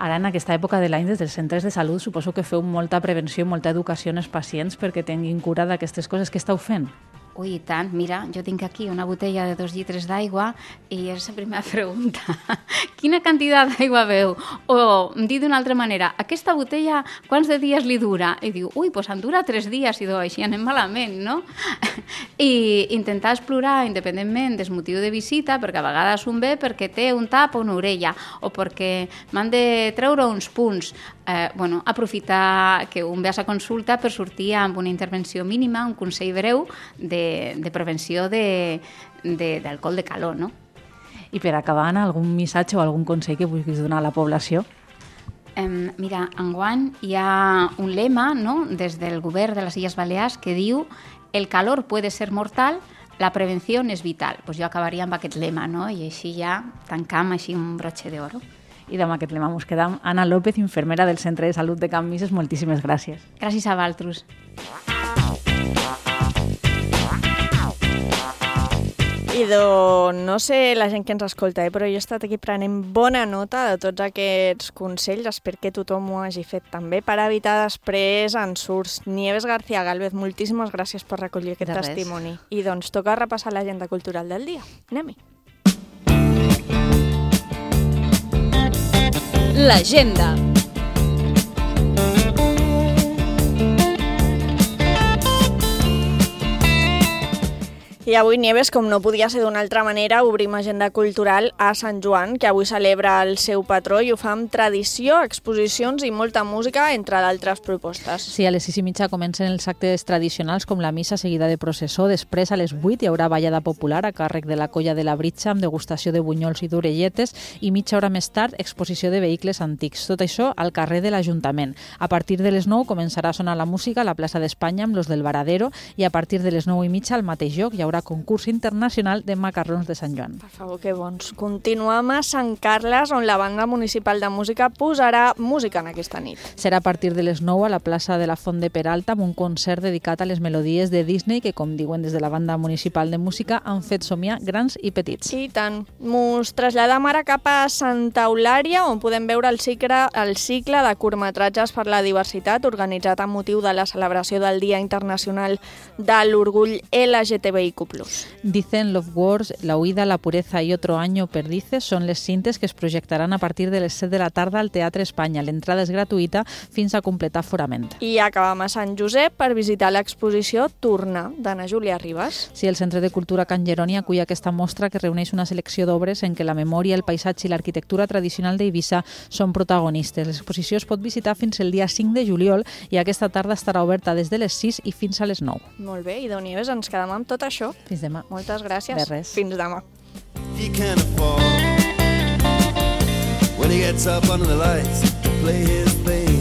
Ara, en aquesta època de l'any, des dels centres de salut, suposo que feu molta prevenció i molta educació als pacients perquè tinguin cura d'aquestes coses. Què esteu fent? Ui, i tant. Mira, jo tinc aquí una botella de dos litres d'aigua i és la primera pregunta. Quina quantitat d'aigua beu? O, dit d'una altra manera, aquesta botella quants de dies li dura? I diu, ui, doncs em dura tres dies, i do, així anem malament, no? I intentar explorar, independentment del motiu de visita, perquè a vegades un ve perquè té un tap o una orella, o perquè m'han de treure uns punts. Eh, bueno, aprofitar que un ve a la consulta per sortir amb una intervenció mínima, un consell breu de, de prevenció de, de, d'alcohol de calor, no? I per acabar, Anna, algun missatge o algun consell que vulguis donar a la població? Eh, mira, enguany hi ha un lema, no?, des del govern de les Illes Balears que diu «El calor puede ser mortal, la prevenció és vital». Pues jo acabaria amb aquest lema, no?, i així ja tancam així un broche d'oro. I amb aquest lema ens quedam. Anna López, infermera del Centre de Salut de Can Misses, moltíssimes gràcies. Gràcies a vosaltres. I do, no sé la gent que ens escolta, eh, però jo he estat aquí prenent bona nota de tots aquests consells. Espero que tothom ho hagi fet també per evitar després ensurts. Nieves García Gálvez, moltíssimes gràcies per recollir aquest testimoni. I doncs toca repassar l'agenda cultural del dia. Anem-hi. L'agenda. I avui, Nieves, com no podia ser d'una altra manera, obrim agenda cultural a Sant Joan, que avui celebra el seu patró i ho fa amb tradició, exposicions i molta música, entre d'altres propostes. Sí, a les sis i mitja comencen els actes tradicionals com la missa seguida de processó. Després, a les vuit, hi haurà ballada popular a càrrec de la Colla de la Britxa amb degustació de bunyols i d'orelletes i mitja hora més tard, exposició de vehicles antics. Tot això al carrer de l'Ajuntament. A partir de les nou començarà a sonar la música a la plaça d'Espanya amb los del Varadero i a partir de les nou i mitja al mateix lloc hi haurà concurs internacional de macarrons de Sant Joan. Per favor, que bons. Continuem a Sant Carles, on la banda municipal de música posarà música en aquesta nit. Serà a partir de les nou a la plaça de la Font de Peralta amb un concert dedicat a les melodies de Disney que, com diuen des de la banda municipal de música, han fet somiar grans i petits. I tant. Mos traslladam ara cap a Santa Eulària, on podem veure el cicle, el cicle de curtmetratges per la diversitat organitzat amb motiu de la celebració del Dia Internacional de l'Orgull L G T B I Q Q plus. Dicen Love Wars, La huida, La pureza y otro año perdices són les cintes que es projectaran a partir de les set de la tarda al Teatre Espanya. L'entrada és gratuïta fins a completar aforament. I acabam a Sant Josep per visitar l'exposició Tornar, d'Anna Júlia Ribas. Sí, el Centre de Cultura Can Jeroni acull aquesta mostra que reuneix una selecció d'obres en què la memòria, el paisatge i l'arquitectura tradicional d'Eivissa són protagonistes. L'exposició es pot visitar fins el dia cinc de juliol i aquesta tarda estarà oberta des de les sis i fins a les nou. Molt bé, i Déu Nieves, ens quedem amb tot això. Fins demà. Moltes gràcies. De res. Fins demà. He can't afford when he gets up under the lights to play his thing.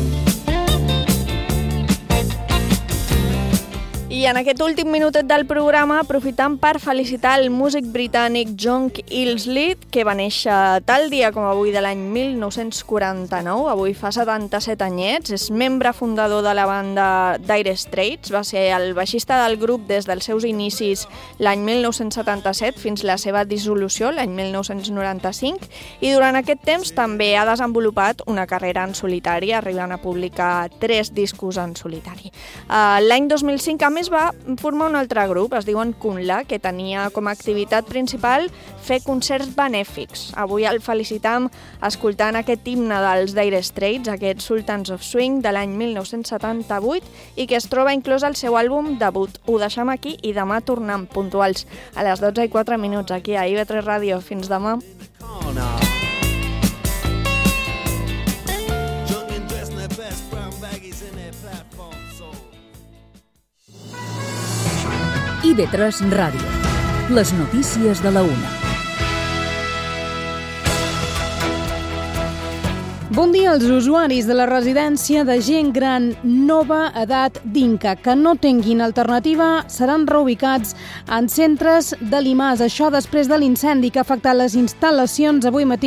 I en aquest últim minutet del programa aprofitam per felicitar el músic britànic John Illsley, que va néixer tal dia com avui de l'any mil nou-cents quaranta-nou, avui fa setanta-set anyets, és membre fundador de la banda Dire Straits, va ser el baixista del grup des dels seus inicis l'any mil nou-cents setanta-set fins la seva dissolució l'any mil nou-cents noranta-cinc, i durant aquest temps també ha desenvolupat una carrera en solitari, arribant a publicar tres discos en solitari. L'any dos mil cinc, a més, va formar un altre grup, es diuen Kunla, que tenia com a activitat principal fer concerts benèfics. Avui el felicitam escoltant aquest himne dels Dire Straits, aquest Sultans of Swing de l'any mil nou-cents setanta-vuit, i que es troba inclòs al seu àlbum debut. Ho deixem aquí i demà tornem puntuals a les dotze i quatre minuts aquí a I V tres Ràdio. Fins demà. I V tres Ràdio. Les notícies de la una. Bon dia als usuaris de la residència de gent gran Nova Edat d'Inca que no tinguin alternativa seran reubicats en centres de l'I M A S. Això després de l'incendi que ha afectat les instal·lacions avui matí